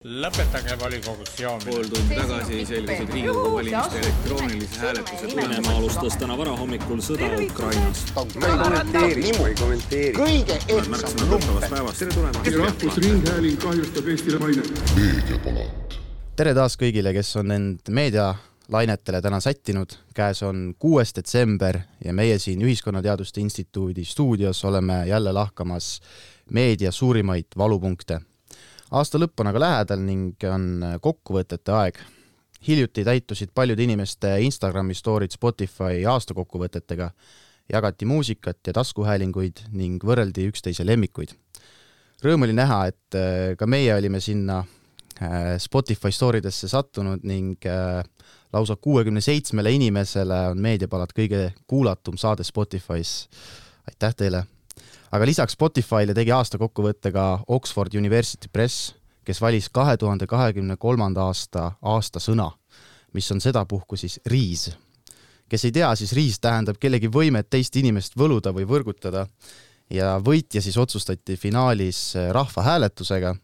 Lõpetage volikogus joomine. Pool tundi tagasi selgusid Riigikogu valimiste elektroonilise hääletuse Venemaa alustas täna varahommikul sõda Ukrainas. ei kommenteeri. Kõige ehtsam lumpe. Rahvusringhääling kahjustab Eestile mainet. Tere taas kõigile, kes on end meedialainetele täna sättinud. Käes on 6. detsember ja meie siin Ühiskonnateaduste Instituudi stuudios oleme jälle lahkamas meedia suurimaid valupunkte. Aasta lõpp on aga lähedal ning on kokkuvõtete aeg. Hiljuti täitusid paljud inimeste Instagrami storid Spotify aastakokkuvõtetega, jagati muusikat ja taskuhäälinguid ning võrreldi üksteise lemmikuid. Rõõm oli näha, et ka meie olime sinna Spotify storidesse sattunud ning lausa 67 inimesele on Meediapalad kõige kuulatum saade Spotify's. Aitäh teile! Aga lisaks Spotify'le tegi aasta kokkuvõttega Oxford University Press, kes valis 2023. aasta sõna, mis on sedapuhku siis riis. Kes ei tea, siis riis tähendab kellegi võimet teist inimest võluda või võrgutada ja võitja siis otsustati finaalis rahvahääletusega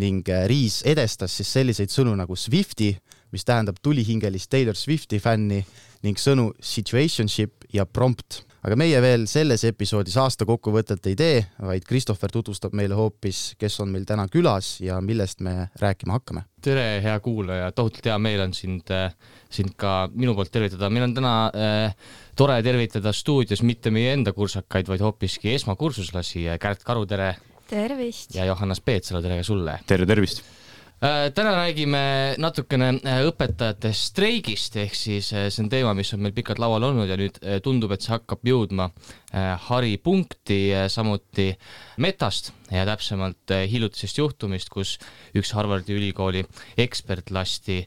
ning riis edestas siis selliseid sõnu nagu Swifti, mis tähendab tulihingelist Taylor Swifti fänni ning sõnu situationship ja prompt. Aga meie veel selles episoodis aasta kokkuvõtet ei tee, vaid Christopher tutvustab meile hoopis, kes on meil täna külas ja millest me rääkima hakkame. Tere, hea kuulaja, tohutult hea meel on sind ka minu poolt tervitada. Meil on täna tore tervitada stuudios mitte meie enda kursakaid, vaid hoopiski esmakursuslasi. Kärt Karu, tere! Tervist! Ja Johannes Peetsalo, tere ka sulle! Tere, tervist! Täna räägime natukene õpetajate streigist, ehk siis see on teema, mis on meil pikalt laual olnud ja nüüd tundub, et see hakkab jõudma haripunkti, samuti Metast ja täpsemalt hiljutisest juhtumist, kus üks Harvardi ülikooli ekspert lasti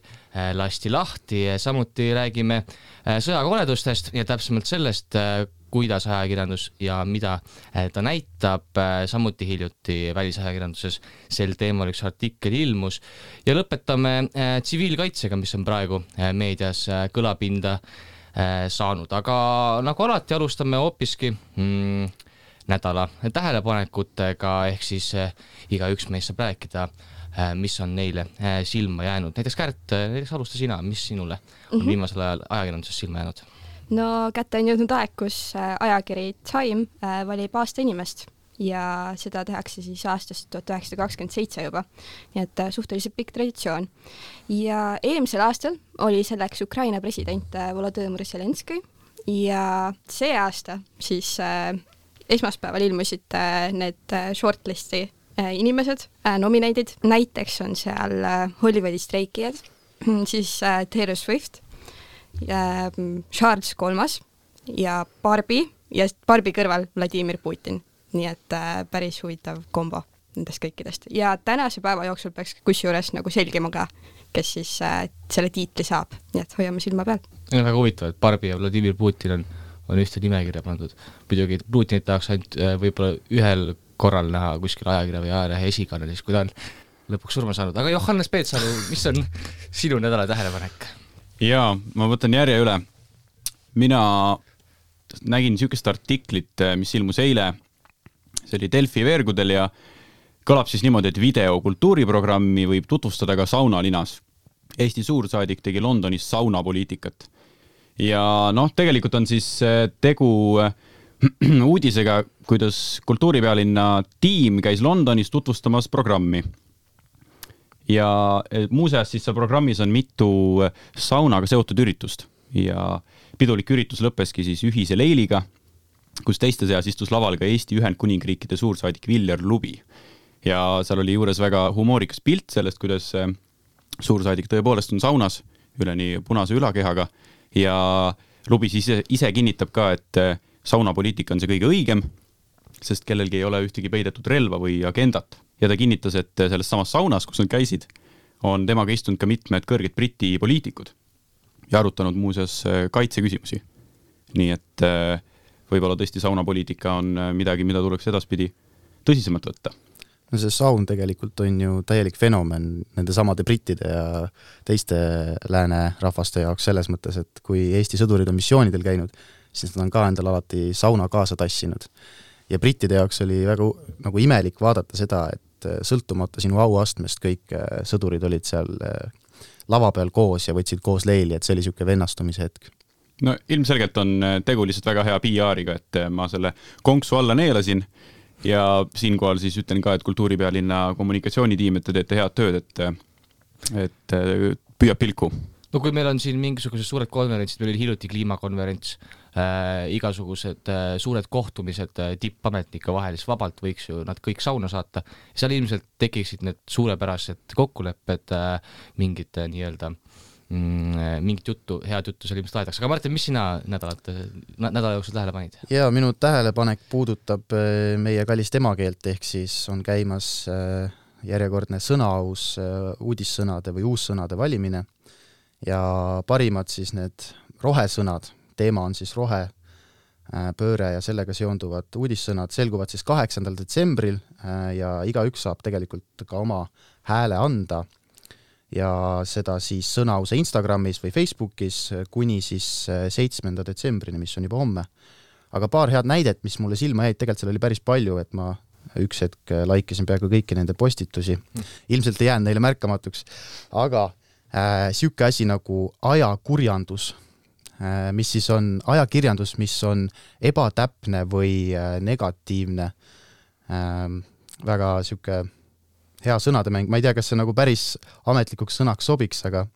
lahti. Samuti räägime sõjakoledustest ja täpsemalt sellest, kuidas ajakirjandus ja mida ta näitab. Samuti hiljuti välisajakirjanduses sel teemal üks artikkel ilmus ja lõpetame tsiviilkaitsega, mis on praegu meedias kõlapinda saanud. Aga nagu alati alustame hoopiski nädala tähelepanekutega, ehk siis igaüks meist saab rääkida, mis on neile silma jäänud. Näiteks Kärt, alusta sina, mis sinule on viimasel ajal ajakirjanduses silma jäänud? No kätte on jõudnud aeg, kus ajakiri Time valib aasta inimest ja seda tehakse siis aastast 1927 juba, nii et suhteliselt pikk traditsioon. Ja eelmisel aastal oli selleks Ukraina president Volodõmõr Zelenskõi ja see aasta siis esmaspäeval ilmusid need shortlisti inimesed, nominated, näiteks on seal Hollywoodi streikijad, siis Taylor Swift, Charles III ja Barbie kõrval Vladimir Putin. Nii et päris huvitav kombo nendest kõikidest. Ja tänase päeva jooksul peaks kusjuures nagu selgima ka, kes siis selle tiitli saab. Nii et hoiame silma peal. On väga huvitav, et Barbie ja Vladimir Putin on ühte nimekirja pandud. Muidugi Putinit tahaks ainult võib-olla ühel korral näha kuskil ajakirja või ajalehe esikanelis, kui ta on lõpuks surma saanud. Aga Johannes Peetsalu, mis on sinu nädala tähelepanek? Jaa, ma võtan järje üle. Mina nägin sükest artiklit, mis ilmus eile. See oli Delfi veergudel ja kõlab siis niimoodi, et videokultuuriprogrammi võib tutvustada ka saunalinas. Eesti suursaadik tegi Londonis saunapoliitikat. Ja tegelikult on siis tegu uudisega, kuidas kultuuripealinna tiim käis Londonis tutvustamas programmi. Ja muuseas siis programmis on mitu saunaga seotud üritust ja pidulik üritus lõppeski siis ühise leiliga, kus teiste seas istus laval ka Eesti Ühendkuningriikide suursaadik Viljar Lubi. Ja seal oli juures väga humoorikas pilt sellest, kuidas suursaadik tõepoolest on saunas üleni punase ülakehaga ja Lubi siis ise kinnitab ka, et saunapoliitika on see kõige õigem, sest kellelgi ei ole ühtegi peidetud relva või agendat. Ja ta kinnitas, et selles samas saunas, kus nad käisid, on temaga istunud ka mitmed kõrged Briti poliitikud ja arutanud muuseas kaitseküsimusi. Nii et võib-olla tõesti saunapoliitika on midagi, mida tuleks edaspidi tõsisemalt võtta. No see saun tegelikult on ju täielik fenomen nende samade brittide ja teiste lääne rahvaste jaoks selles mõttes, et kui Eesti sõdurid on missioonidel käinud, siis nad on ka endal alati sauna kaasa tassinud. Ja brittide jaoks oli väga nagu imelik vaadata seda, et sõltumata sinu auastmest, kõik sõdurid olid seal lava peal koos ja võtsid koos leili, et see oli niisugune vennastumise hetk. No ilmselgelt on tegu lihtsalt väga hea PR-iga, et ma selle konksu alla neelasin ja siinkohal siis ütlen ka, et Kultuuripealinna kommunikatsioonitiim, et te teete head tööd, et püüab pilku. No kui meil on siin mingisugused suured konverentsid, meil oli hiljuti kliimakonverents, igasugused suured kohtumised tippametnike vahel, siis vabalt võiks ju nad kõik sauna saata. Seal ilmselt tekiksid need suurepärased kokkulepped, mingit nii-öelda mingit juttu, head juttu seal ilmselt aetakse. Aga Martin, mis sina nädala jooksul tähele panid? Ja minu tähelepanek puudutab meie kallist emakeelt, ehk siis on käimas järjekordne sõnaaus uudissõnade või uussõnade valimine ja parimad siis need rohesõnad, teema on siis rohepööre ja sellega seonduvad uudissõnad, selguvad siis 8. detsembril ja igaüks saab tegelikult ka oma hääle anda ja seda siis sõnause Instagramis või Facebookis kuni siis 7. detsembrini, mis on juba homme. Aga paar head näidet, mis mulle silma jäid, tegelikult seal oli päris palju, et ma üks hetk laikisin peaaegu kõiki nende postitusi. Ilmselt ei jäänud neile märkamatuks, aga siuke asi nagu ajakurjandus, mis siis on ajakirjandus, mis on ebatäpne või negatiivne, väga siuke hea sõnademäng, ma ei tea, kas see nagu päris ametlikuks sõnaks sobiks, aga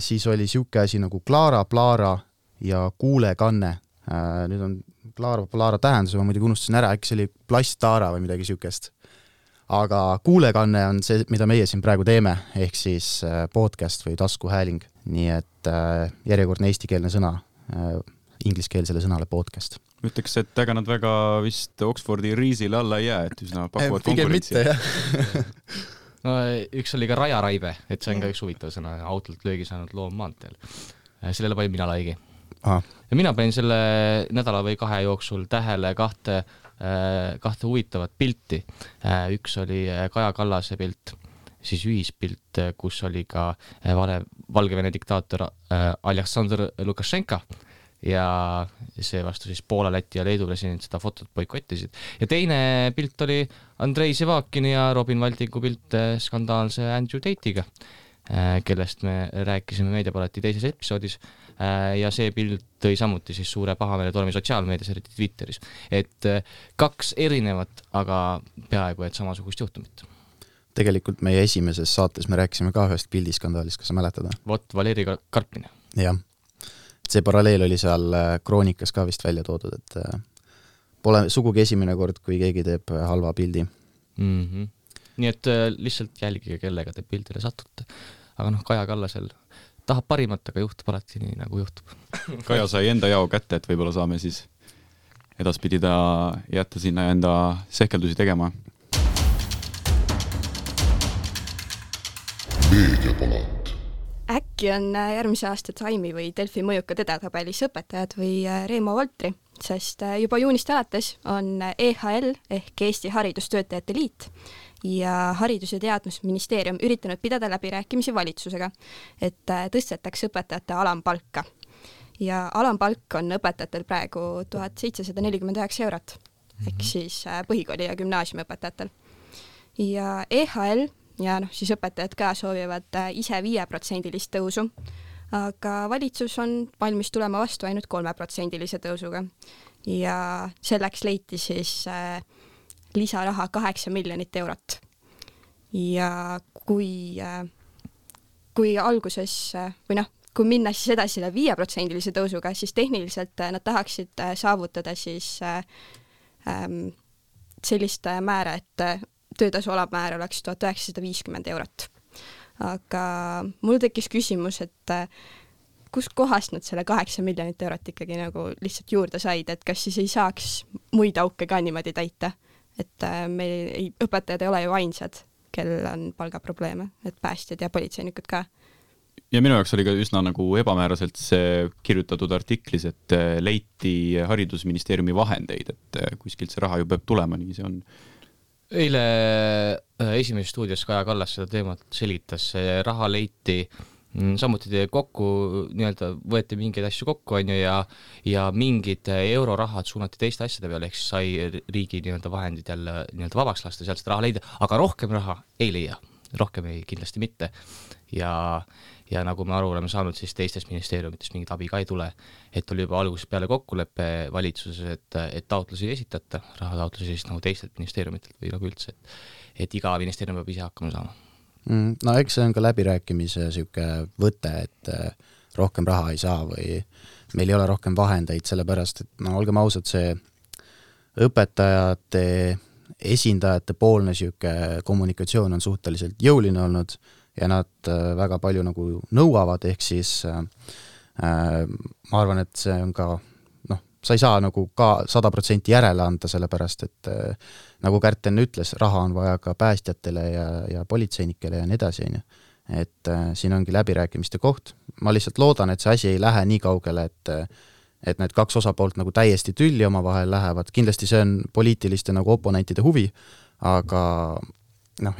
siis oli siuke asi nagu Klaara, Plaara ja kuulekanne. Nüüd on Klaara, Plaara tähendus, ma muidugi unustasin ära, äkki see oli plasttaara või midagi siukest. Aga kuulekanne on see, mida meie siin praegu teeme, ehk siis podcast või taskuhääling. Nii et järjekordne eestikeelne sõna ingliskeelsele sõnale podcast. Ütleks, et ega nad väga vist Oxfordi riisile alla ei jää, et üsna pakuvad konkurentsi. Pigem mitte, jah. No, üks oli ka rajaraive, et see on ka üks huvitav sõna, autolt löögi saanud loom maanteel. Sellele panin mina laigi. Aha. Ja mina panin selle nädala või 2 jooksul tähele kahte huvitavat pilti. Üks oli Kaja Kallase pilt, siis ühispilt, kus oli ka Valgevene diktaator Aleksandr Lukašenka ja see vastu siis Poola, Läti ja Leedu president seda fotot boikottisid. Ja teine pilt oli Andrei Sevakini ja Robin Valdiku pilt skandaalse Andrew Tate'iga, kellest me rääkisime Meediapalati teises episoodis ja see pilt tõi samuti siis suure pahameele tormi sotsiaalmeedias, eriti Twitteris. Et 2 erinevat, aga peaaegu et samasugust juhtumit. Tegelikult meie esimeses saates me rääkisime ka ühest pildiskandaalist, kas sa mäletada? Vot, Valeri Karpine. Jah, see paralleel oli seal kroonikas ka vist välja toodud, et pole sugugi esimene kord, kui keegi teeb halva pildi. Nii et lihtsalt jälgige, kellega te pildile satute. Aga Kaja Kallasel tahab parimat, aga juhtub alati nii, nagu juhtub. Kaja sai enda jao kätte, et võib-olla saame siis edaspidi ta jätta sinna enda sehkeldusi tegema. Meediapalat. Äkki on järgmise aasta Time'i või Delfi mõjukad edetabelis õpetajad või Reemo Voltri, sest juba juunist alates on EHL ehk Eesti Haridustöötajate Liit ja Haridus- ja Teadusministeerium üritanud pidada läbirääkimisi valitsusega, et tõstetakse õpetajate alampalka. Ja alampalk on õpetajatel praegu 1749 eurot, ehk siis põhikooli ja gümnaasiumi õpetajatel. Ja EHL ja siis õpetajad ka soovivad ise 5% tõusu, aga valitsus on valmis tulema vastu ainult 3% tõusuga. Ja selleks leiti siis lisaraha 8 miljonit eurot. Ja kui alguses, või kui minna siis edasi 5% tõusuga, siis tehniliselt nad tahaksid saavutada siis sellist määra, et töötasu alammäär oleks 1950 eurot. Aga mul tekkis küsimus, et kust kohast nad selle 8 miljonit eurot ikkagi nagu lihtsalt juurde said, et kas siis ei saaks muid auke ka niimoodi täita? Et meil õpetajad ei ole ju ainsad, kellel on palgaprobleeme, et päästjad ja politseinikud ka. Ja minu jaoks oli ka üsna nagu ebamääraselt see kirjutatud artiklis, et leiti haridusministeeriumi vahendeid, et kuskilt see raha ju peab tulema, nii see on. Eile esimeses stuudios Kaja Kallas seda teemat selitas, see raha leiti samuti kokku, nii-öelda võeti mingeid asju kokku, on ju, ja mingid eurorahad suunati teiste asjade peale, ehk siis sai riigi nii-öelda vahendid jälle nii-öelda vabaks lasta, sealt seda raha leida, aga rohkem raha ei leia, rohkem ei kindlasti mitte. Ja nagu me aru oleme saanud, siis teistest ministeeriumitest mingit abi ka ei tule, et oli juba algusest peale kokkuleppe valitsuses, et taotlusi ei esitata, rahataotlusi siis nagu teistelt ministeeriumitelt või nagu üldse, et iga ministeerium peab ise hakkama saama. No eks see on ka läbirääkimise siuke võte, et rohkem raha ei saa või meil ei ole rohkem vahendeid, sellepärast, et no olgem ausad, see õpetajate esindajate poolne siuke kommunikatsioon on suhteliselt jõuline olnud ja nad väga palju nagu nõuavad, ehk siis ma arvan, et see on ka, sa ei saa nagu ka 100% järele anda, sellepärast, et nagu Kärten ütles, raha on vaja ka päästjatele ja politseinikele ja nii edasi, et siin ongi läbirääkimiste koht. Ma lihtsalt loodan, et see asi ei lähe nii kaugele, et need kaks osapoolt nagu täiesti tülli oma vahel lähevad. Kindlasti see on poliitiliste nagu oponentide huvi, aga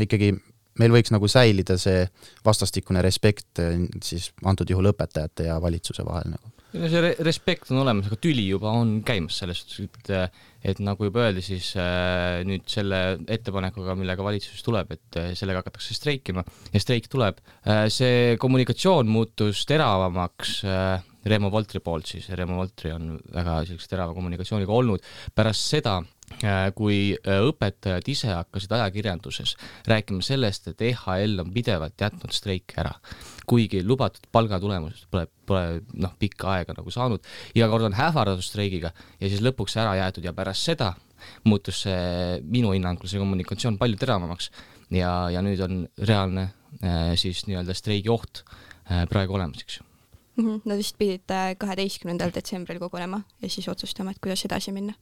ikkagi meil võiks nagu säilida see vastastikune respekt siis antud juhul õpetajate ja valitsuse vahel nagu. See respekt on olemas, aga tüli juba on käimas sellest, et nagu juba öeldi, siis nüüd selle ettepanekuga, millega valitsus tuleb, et sellega hakatakse streikima ja streik tuleb. See kommunikatsioon muutus teravamaks Reemo Voltri poolt, siis Reemo Voltri on väga sellise terava kommunikatsiooniga olnud pärast seda, kui õpetajad ise hakkasid ajakirjanduses rääkima sellest, et EHL on pidevalt jätnud streik ära, kuigi lubatud palgatulemused pole pikka aega nagu saanud, iga kord on hävardatud streigiga ja siis lõpuks ära jäetud ja pärast seda muutus see minu hinnangul see kommunikatsioon palju teravamaks ja nüüd on reaalne siis nii-öelda streigi oht praegu olemas, eks. Nad vist pidid 12. detsembril kogunema ja siis otsustama, et kuidas edasi minna.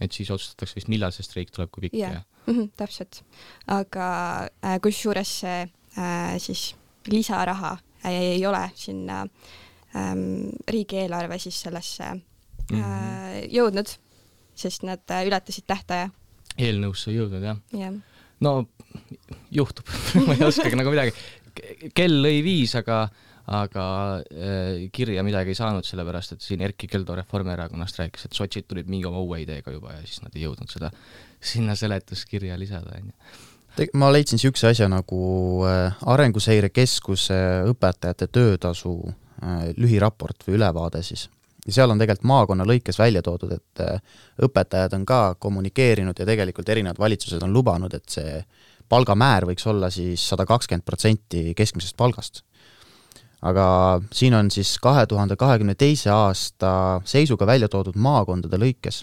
Et siis otsustatakse vist, millal see streik tuleb, kui pikk ja. Täpselt. Aga kusjuures see siis lisaraha ei ole sinna riigieelarve siis sellesse jõudnud, sest nad ületasid tähtaja. Eelnõusse jõudnud, jah. Yeah. No juhtub, ma ei oskagi nagu midagi. Kell lõi 5, aga kirja midagi ei saanud, sellepärast, et siin Erkki Keldo Reformierakonnast rääkis, et sotsid tulid mingi oma uue ideega juba ja siis nad ei jõudnud seda sinna seletuskirja lisada. Ma leidsin siukse asja nagu Arenguseire Keskuse õpetajate töötasu lühiraport või ülevaade siis. Ja seal on tegelikult maakonna lõikes välja toodud, et õpetajad on ka kommunikeerinud ja tegelikult erinevad valitsused on lubanud, et see palgamäär võiks olla siis 120% keskmisest palgast. Aga siin on siis 2022. aasta seisuga välja toodud maakondade lõikes.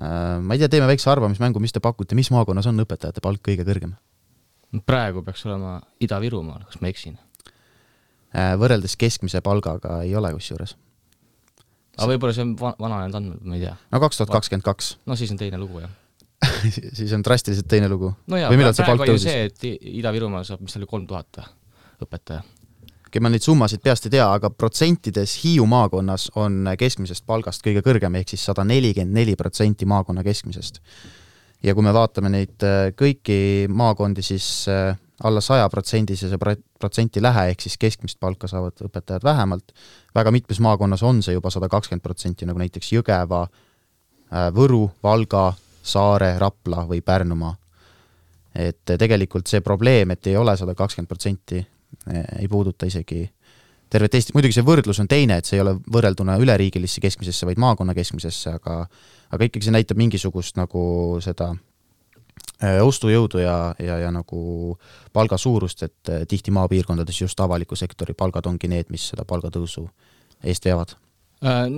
Ma ei tea, teeme väikse arvamismängu, mis te pakute, mis maakonnas on õpetajate palk kõige kõrgem? Praegu peaks olema Ida-Virumaal, kas ma eksin? Võrreldes keskmise palgaga ei ole kusjuures. Aga võib-olla see on vananenud andmed, ma ei tea. No 2022. No siis on teine lugu, jah. Siis on drastiliselt teine lugu. No jah, praegu on see, et Ida-Virumaal saab, mis oli 3000 õpetaja. Ma neid summasid peast ei tea, aga protsentides Hiiu maakonnas on keskmisest palgast kõige kõrgem, ehk siis 144% maakonna keskmisest. Ja kui me vaatame neid kõiki maakondi, siis alla 100% see protsenti lähe, ehk siis keskmist palka saavad õpetajad vähemalt. Väga mitmes maakonnas on see juba 120%, nagu näiteks Jõgeva, Võru, Valga, Saare, Rapla või Pärnumaa. Et tegelikult see probleem, et ei ole 120%, ei puuduta isegi tervet Eesti. Muidugi see võrdlus on teine, et see ei ole võrrelduna üleriigilisse keskmisesse, vaid maakonna keskmisesse, aga ikkagi see näitab mingisugust nagu seda ostujõudu ja nagu palga suurust, et tihti maapiirkondades just avaliku sektori palgad ongi need, mis seda palgatõusu eest veavad.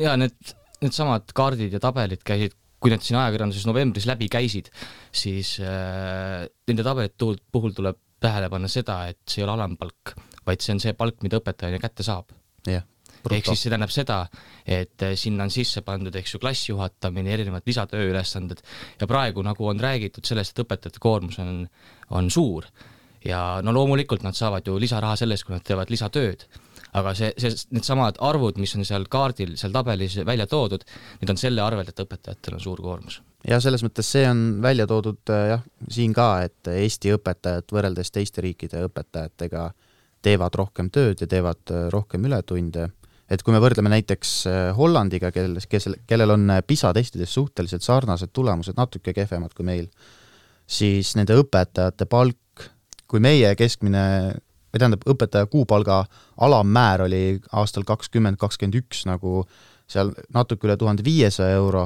Ja need samad kaardid ja tabelid käisid, kui need siin ajakirjanduses novembris läbi käisid, siis nende tabelit puhul tuleb tähele panna seda, et see ei ole alampalk, vaid see on see palk, mida õpetajana kätte saab. Yeah, ehk siis see tähendab seda, et sinna on sisse pandud klassijuhatamine, erinevad lisatööülesanded ja praegu nagu on räägitud sellest, et õpetajate koormus on suur ja no loomulikult nad saavad ju lisaraha sellest, kui nad teevad lisatööd, aga need samad arvud, mis on seal kaardil, seal tabelis välja toodud, need on selle arvelt, et õpetajatel on suur koormus. Ja selles mõttes see on välja toodud jah, siin ka, et Eesti õpetajad võrreldes teiste riikide õpetajatega teevad rohkem tööd ja teevad rohkem ületunde. Et kui me võrdleme näiteks Hollandiga, kellel on PISA testides suhteliselt sarnased tulemused, natuke kehvemad kui meil, siis nende õpetajate palk, kui meie keskmine, või tähendab, õpetaja kuupalga alammäär oli aastal 2021 nagu seal natuke üle 1500 €,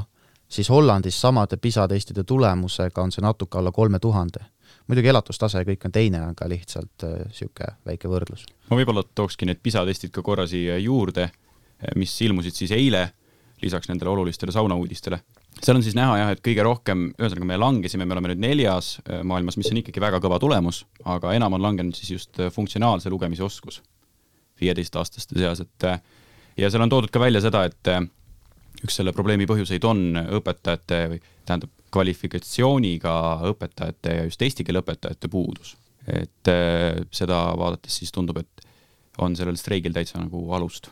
siis Hollandis samade PISA testide tulemusega on see natuke alla 3000. Muidugi elatustase kõik on teine, aga lihtsalt siuke väike võrdlus. Ma võib-olla tookski need PISA testid ka korra siia juurde, mis ilmusid siis eile, lisaks nendele olulistele saunauudistele. Seal on siis näha jah, et kõige rohkem, ühesõnaga me langesime, me oleme nüüd 4. maailmas, mis on ikkagi väga kõva tulemus, aga enam on langenud siis just funktsionaalse lugemise oskus 15-aastaste seas, et ja seal on toodud ka välja seda, et üks selle probleemi põhjuseid on õpetajate või tähendab kvalifikatsiooniga õpetajate ja just eesti keele õpetajate puudus. Et seda vaadates siis tundub, et on sellel streigil täitsa nagu alust.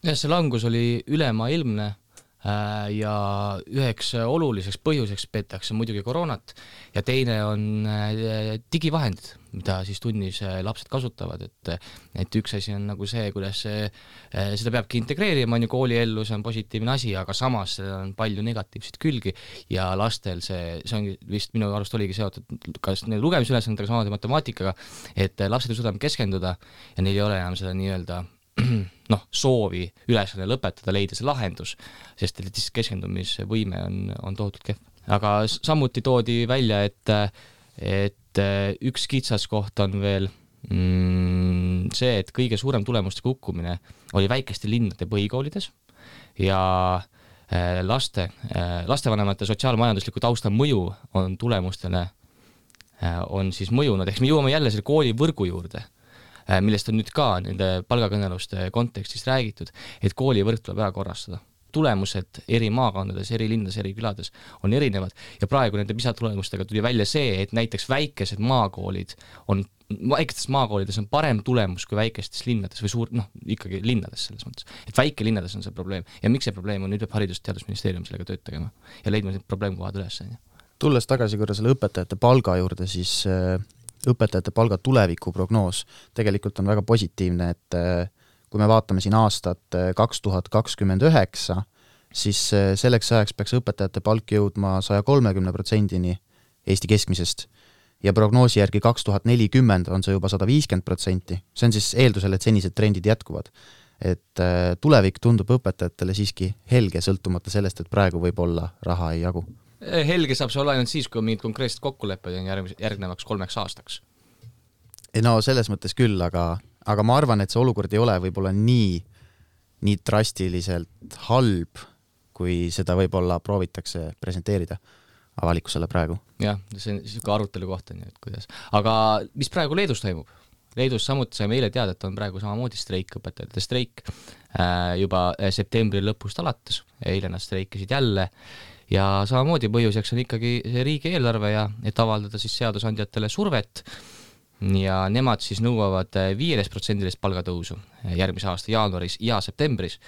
Ja see langus oli ülemaailmne ja üheks oluliseks põhjuseks peetakse muidugi koroonat ja teine on digivahendid, mida siis tunnis lapsed kasutavad, et üks asi on nagu see, kuidas seda peabki integreerima, on ju kooliellu, see on positiivne asi, aga samas on palju negatiivseid külgi ja lastel see on vist minu arust oligi seotud kas lugemisülesandega, samamoodi matemaatikaga, et lapsed ei suuda keskenduda ja neil ei ole enam seda nii-öelda soovi ülesanne lõpetada, leida see lahendus, sest keskendumisvõime on tohutult kehv. Aga samuti toodi välja, et üks kitsaskoht on veel see, et kõige suurem tulemuste kukkumine oli väikeste linnade põhikoolides ja lastevanemate sotsiaalmajandusliku tausta mõju on tulemustele on siis mõjunud, ehk me jõuame jälle selle koolivõrgu juurde, millest on nüüd ka nende palgakõneluste kontekstis räägitud, et koolivõrk tuleb ära korrastada. Tulemused eri maakondades, eri linnades, eri külades on erinevad ja praegu nende PISA tulemustega tuli välja see, et näiteks väikestes maakoolides on parem tulemus kui väikestes linnades või ikkagi linnades selles mõttes. Et väikelinnades on see probleem ja miks see probleem on, nüüd peab Haridus- ja Teadusministeerium sellega tööd tegema ja leidma need probleemkohad üles. Tulles tagasi korra selle õpetajate palga juurde, siis õpetajate palga tulevikuprognoos tegelikult on väga positiivne, et kui me vaatame siin aastat 2029, siis selleks ajaks peaks õpetajate palk jõudma 130%-ni Eesti keskmisest ja prognoosi järgi 2040 on see juba 150%. See on siis eeldusel, et senised trendid jätkuvad. Et tulevik tundub õpetajatele siiski helge, sõltumata sellest, et praegu võib-olla raha ei jagu. Helge saab see olla ainult siis, kui mingid konkreetsed kokkulepped on järgnevaks 3 aastaks. No selles mõttes küll, aga ma arvan, et see olukord ei ole võib-olla nii drastiliselt halb, kui seda võib-olla proovitakse presenteerida avalikkusele praegu. Jah, see on ka arutelu kohta, nii et kuidas. Aga mis praegu Leedus toimub? Leedus samuti saime eile teada, et on praegu samamoodi streik, õpetajate streik juba septembri lõpust alates. Eile nad streikisid jälle ja samamoodi põhjuseks on ikkagi riigieelarve ja et avaldada siis seadusandjatele survet ja nemad siis nõuavad 15% palgatõusu järgmise aasta jaanuaris ja septembris.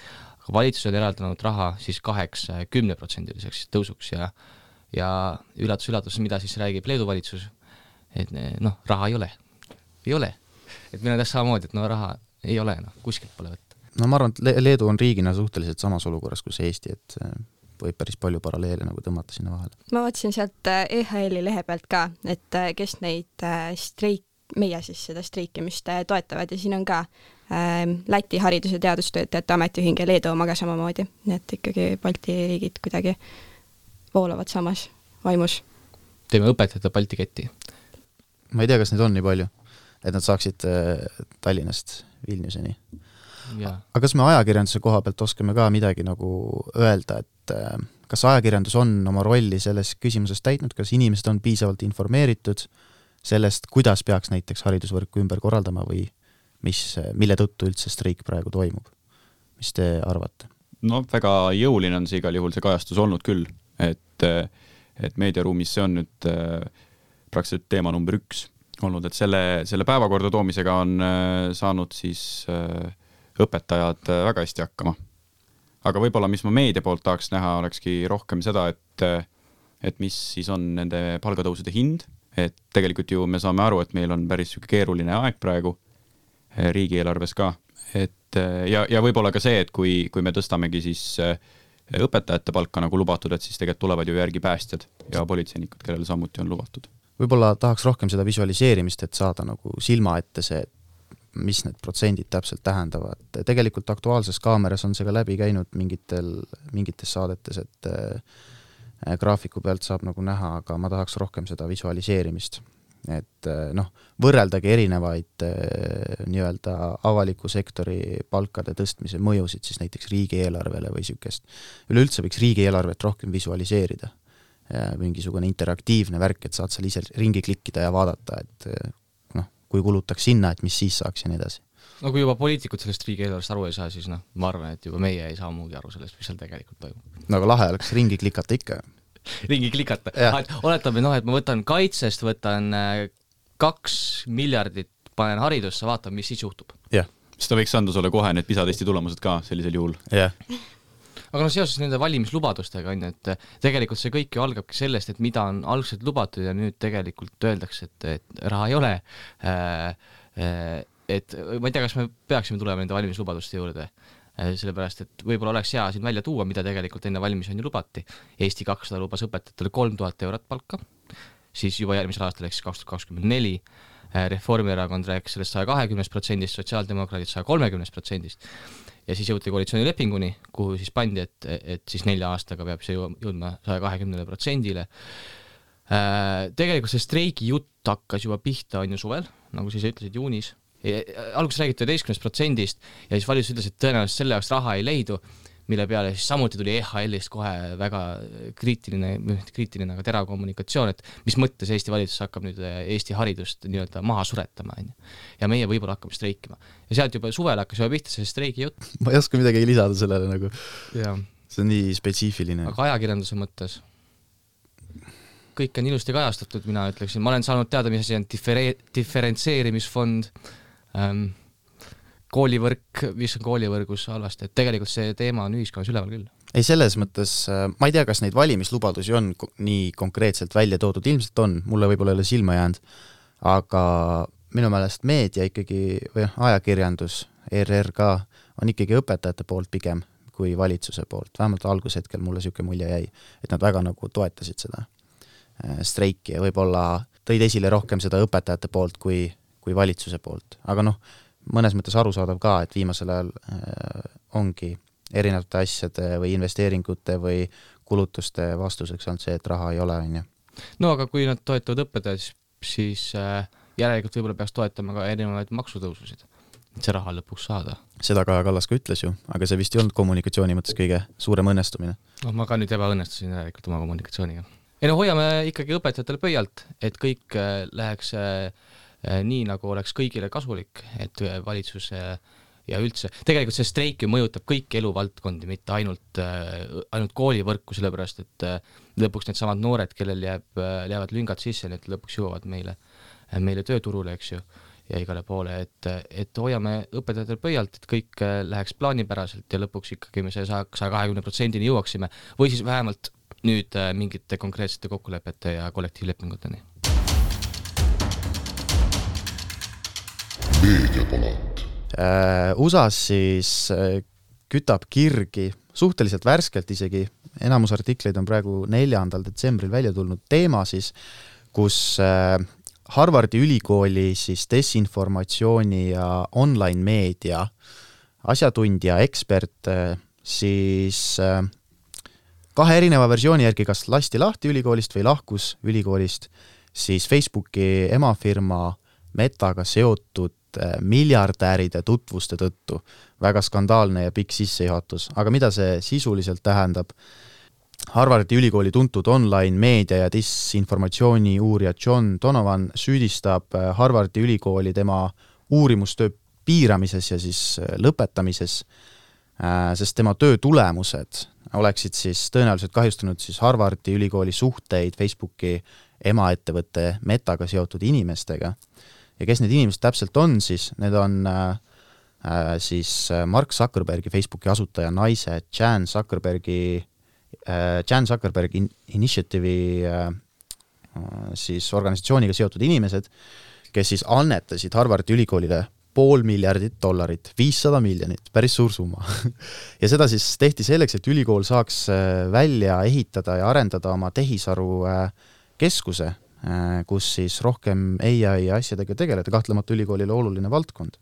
Valitsus on eraldanud raha siis 10% tõusuks ja üllatus, mida siis räägib Leedu valitsus, et raha ei ole. Ei ole. Et meil on samamoodi, et raha ei ole, kuskilt pole võtta. No ma arvan, et Leedu on riigina suhteliselt samas olukorras kui Eesti, et võib päris palju paralleele nagu tõmmata sinna vahele. Ma vaatasin sealt EHL-i lehe pealt ka, et kes neid meie siis seda streikimist toetavad ja siin on ka Läti haridus- ja teadustöötajate ametiühing ja Leedu omaga samamoodi, nii et ikkagi Balti riigid kuidagi voolavad samas vaimus. Teeme õpetajate Balti ketti. Ma ei tea, kas neid on nii palju, et nad saaksid Tallinnast Vilniuseni. Ja. Aga kas me ajakirjanduse koha pealt oskame ka midagi nagu öelda, et kas ajakirjandus on oma rolli selles küsimuses täitnud, kas inimesed on piisavalt informeeritud sellest, kuidas peaks näiteks haridusvõrku ümber korraldama või mille tõttu üldse streik praegu toimub? Mis te arvate? No väga jõuline on see igal juhul see kajastus olnud küll, et meediaruumis see on nüüd praktiliselt teema number 1 olnud, et selle päevakorda toomisega on saanud siis õpetajad väga hästi hakkama. Aga võib-olla, mis ma meedia poolt tahaks näha, olekski rohkem seda, et mis siis on nende palgatõusude hind, et tegelikult ju me saame aru, et meil on päris keeruline aeg praegu, riigieelarves ka. Et ja võib-olla ka see, et kui me tõstamegi siis õpetajate palka nagu lubatud, et siis tegelikult tulevad ju järgi päästjad ja politseinikud, kellel samuti on lubatud. Võib-olla tahaks rohkem seda visualiseerimist, et saada nagu silma ette see, mis need protsendid täpselt tähendavad. Tegelikult Aktuaalses Kaameras on see ka läbi käinud mingites saadetes, et graafiku pealt saab nagu näha, aga ma tahaks rohkem seda visualiseerimist. Et võrreldagi erinevaid nii-öelda avaliku sektori palkade tõstmise mõjusid siis näiteks riigieelarvele või sükest. Üleüldse võiks riigieelarvet rohkem visualiseerida. Mingisugune interaktiivne värk, et saad seal ise ringi klikkida ja vaadata, et kui kulutaks sinna, et mis siis saaks ja nii edasi. No kui juba poliitikud sellest riigieelarvest aru ei saa, siis ma arvan, et juba meie ei saa muugi aru sellest, mis seal tegelikult toimub. No aga lahe oleks ringi klikata ikka. Ringi klikata. Oletame, et ma võtan kaitsest, võtan 2 miljardit, panen haridusse, vaatan, mis siis juhtub. Jah. Seda võiks anda sulle kohe need PISA-testi tulemused ka sellisel juhul. Jah. Aga seoses nende valimislubadustega on, et tegelikult see kõik ju algabki sellest, et mida on algselt lubatud ja nüüd tegelikult öeldakse, et raha ei ole. Et ma ei tea, kas me peaksime tulema nende valimislubaduste juurde, sellepärast, et võib-olla oleks hea siin välja tuua, mida tegelikult enne valimisi on ju lubati. Eesti 200 lubas õpetajatele 3000 eurot palka, siis juba järgmisel aastal ehk 2024. Reformierakond rääkis sellest 120%, sotsiaaldemokraadid 130%. Ja siis jõuti koalitsioonilepinguni, kuhu siis pandi, et siis 4 aastaga peab see jõudma 120%-le. Tegelikult see streigi jutt hakkas juba pihta on ju suvel, nagu siis ütlesid juunis. Alguses räägiti 11% ja siis valitsus ütles, et tõenäoliselt selle jaoks raha ei leidu, mille peale siis samuti tuli EHL-ist kohe väga kriitiline, aga terav kommunikatsioon, et mis mõttes Eesti valitsus hakkab nüüd Eesti haridust nii-öelda maha suretama. Ja meie võib-olla hakkame streikima. Ja sealt juba suvel hakkas juba pihta see streigi jutt. Ma ei oska midagi lisada sellele nagu. Ja. See on nii spetsiifiline. Aga ajakirjanduse mõttes kõik on ilusti kajastatud, mina ütleksin. Ma olen saanud teada, mis asi on diferentseerimisfond, koolivõrk, mis on koolivõrgus halvasti, et tegelikult see teema on ühiskonnas üleval küll. Ei, selles mõttes, ma ei tea, kas neid valimislubadusi on nii konkreetselt välja toodud, ilmselt on, mulle võib-olla ei ole silma jäänud, aga minu meelest meedia ikkagi, või ajakirjandus, ERR ka, on ikkagi õpetajate poolt pigem kui valitsuse poolt, vähemalt algushetkel mulle siuke mulje jäi, et nad väga nagu toetasid seda streiki ja võib-olla tõid esile rohkem seda õpetajate poolt kui valitsuse poolt, aga mõnes mõttes arusaadav ka, et viimasel ajal ongi erinevate asjade või investeeringute või kulutuste vastuseks on see, et raha ei ole. No aga kui nad toetavad õpetajad, siis järelikult võib-olla peaks toetama ka erinevaid maksutõususid, et see raha lõpuks saada. Seda Kaja Kallas ka ütles ju, aga see vist ei olnud kommunikatsiooni mõttes kõige suurem õnnestumine. Ma ka nüüd ebaõnnestusin järelikult oma kommunikatsiooniga. Hoiame ikkagi õpetajatele pöialt, et kõik läheks nii, nagu oleks kõigile kasulik, et valitsus ja üldse. Tegelikult see streik ju mõjutab kõiki eluvaldkondi, mitte ainult koolivõrku, sellepärast, et lõpuks need samad noored, kellel jäävad lüngad sisse, need lõpuks jõuavad meile tööturule, eks ju, ja igale poole, et hoiame õpetajatele pöialt, et kõik läheks plaanipäraselt ja lõpuks ikkagi me 120%-ni jõuaksime, või siis vähemalt nüüd mingite konkreetsete kokkulepete ja kollektiivlepinguteni. Meediapalat. USAs siis kütab kirgi suhteliselt värskelt isegi, enamus artikleid on praegu 4. detsembril välja tulnud teema siis, kus Harvardi ülikooli siis desinformatsiooni ja online meedia asjatundja, ekspert siis 2 erineva versiooni järgi kas lasti lahti ülikoolist või lahkus ülikoolist siis Facebooki emafirma Metaga seotud miljardääride tutvuste tõttu. Väga skandaalne ja pikk sissejuhatus. Aga mida see sisuliselt tähendab? Harvardi ülikooli tuntud online meedia ja disinformatsiooni uurija John Donovan süüdistab Harvardi ülikooli tema uurimustöö piiramises ja siis lõpetamises, sest tema töö tulemused oleksid siis tõenäoliselt kahjustanud siis Harvardi ülikooli suhteid Facebooki emaettevõtte Metaga seotud inimestega. Ja kes need inimesed täpselt on, siis need on siis Mark Zuckerbergi Facebooki asutaja naise Jan Zuckerbergi Initiative'i siis organisatsiooniga seotud inimesed, kes siis annetasid Harvardi ülikoolile $500 miljardit, $500 miljonit, päris suur summa. Ja seda siis tehti selleks, et ülikool saaks välja ehitada ja arendada oma tehisaru keskuse, kus siis rohkem AI ja asjadega tegeleda, kahtlemata ülikoolile oluline valdkond.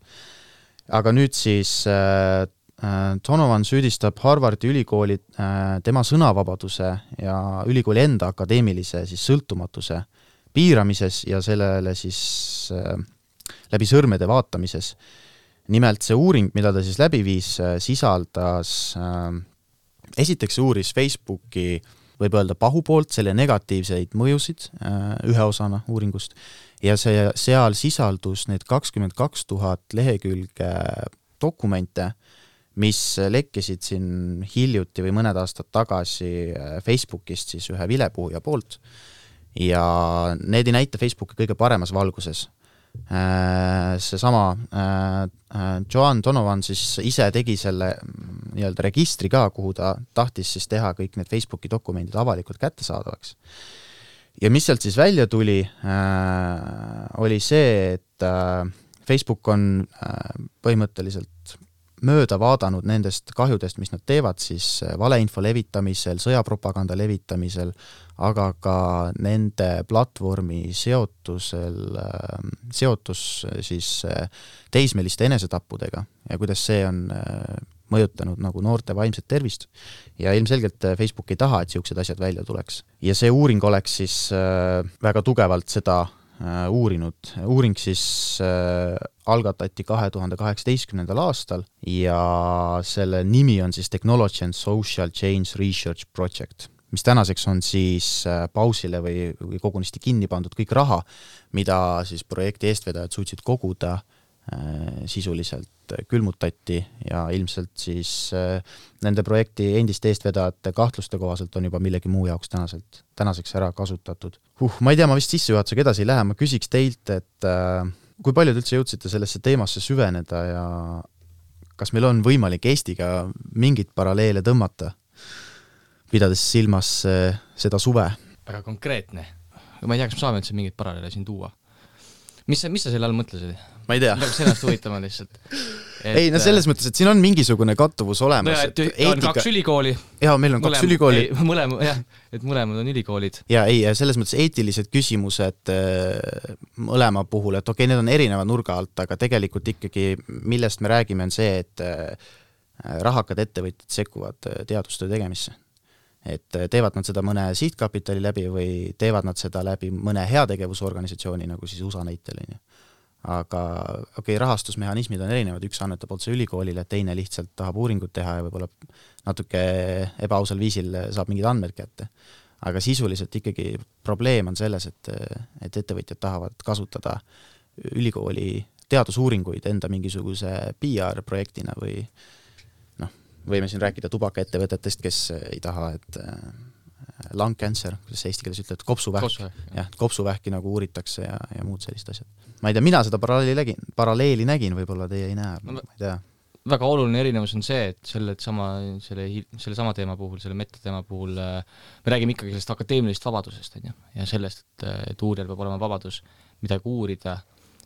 Aga nüüd siis Donovan süüdistab Harvardi ülikooli tema sõnavabaduse ja ülikooli enda akadeemilise siis sõltumatuse piiramises ja sellele siis läbi sõrmede vaatamises. Nimelt see uuring, mida ta siis läbi viis, sisaldas, esiteks uuris Facebooki, võib öelda pahupoolt, selle negatiivseid mõjusid ühe osana uuringust ja seal sisaldus need 22 000 lehekülge dokumente, mis lekkisid siin hiljuti või mõned aastad tagasi Facebookist siis ühe vilepuhuja poolt ja need ei näita Facebooki kõige paremas valguses. Seesama Joan Donovan siis ise tegi selle nii-öelda registri ka, kuhu ta tahtis siis teha kõik need Facebooki dokumendid avalikult kättesaadavaks. Ja mis sealt siis välja tuli, oli see, et Facebook on põhimõtteliselt mööda vaadanud nendest kahjudest, mis nad teevad siis valeinfo levitamisel, sõjapropaganda levitamisel, aga ka nende platvormi seotus siis teismeliste enesetappudega ja kuidas see on mõjutanud nagu noorte vaimset tervist. Ja ilmselgelt Facebook ei taha, et siuksed asjad välja tuleks. Ja see uuring oleks siis väga tugevalt seda uurinud. Uuring siis algatati 2018. aastal ja selle nimi on siis Technology and Social Change Research Project, mis tänaseks on siis pausile või kogunisti kinni pandud kõik raha, mida siis projekti eestvedajad suutsid koguda, sisuliselt külmutati ja ilmselt siis nende projekti endiste eestvedajate kahtluste kohaselt on juba millegi muu jaoks tänaseks ära kasutatud. Ma ei tea, ma vist sissejuhatusega edasi ei lähe, ma küsiks teilt, et kui paljud üldse jõudsite sellesse teemasse süveneda ja kas meil on võimalik Eestiga mingit paralleele tõmmata, pidades silmas seda suve? Väga konkreetne. Ma ei tea, kas me saame üldse mingit paralleele siin tuua. Mis sa selle all mõtlesid? Ma ei tea. Sellest huvitama lihtsalt. Ei, no selles mõttes, et siin on mingisugune kattuvus olemas. No, on 2 ülikooli. Jaa, meil on 2 ülikooli. Mõlemad on ülikoolid. Ja ei, selles mõttes eetilised küsimused mõlema puhul, et okei, need on erineva nurga alt, aga tegelikult ikkagi, millest me räägime, on see, et rahakad ettevõtjad sekkuvad teadustöö tegemisse. Et teevad nad seda mõne sihtkapitali läbi või teevad nad seda läbi mõne heategevusorganisatsiooni, nagu siis USA näitel. Aga okei, rahastusmehhanismid on erinevad, üks annetab otse ülikoolile, teine lihtsalt tahab uuringut teha ja võib-olla natuke ebaausal viisil saab mingid andmed kätte. Aga sisuliselt ikkagi probleem on selles, et ettevõtjad tahavad kasutada ülikooli teadusuuringuid enda mingisuguse PR-projektina või võime siin rääkida tubakaettevõtetest, kes ei taha, et lung cancer, kuidas eesti keeles ütled, kopsuvähki nagu uuritakse ja muud sellist asjad. Ma ei tea, mina seda paralleeli nägin, võib-olla teie ei näe, ma ei tea. Väga oluline erinevus on see, et selle sama teema puhul, selle metateema puhul me räägime ikkagi sellest akadeemilisest vabadusest ja sellest, et uurijal peab olema vabadus midagi uurida,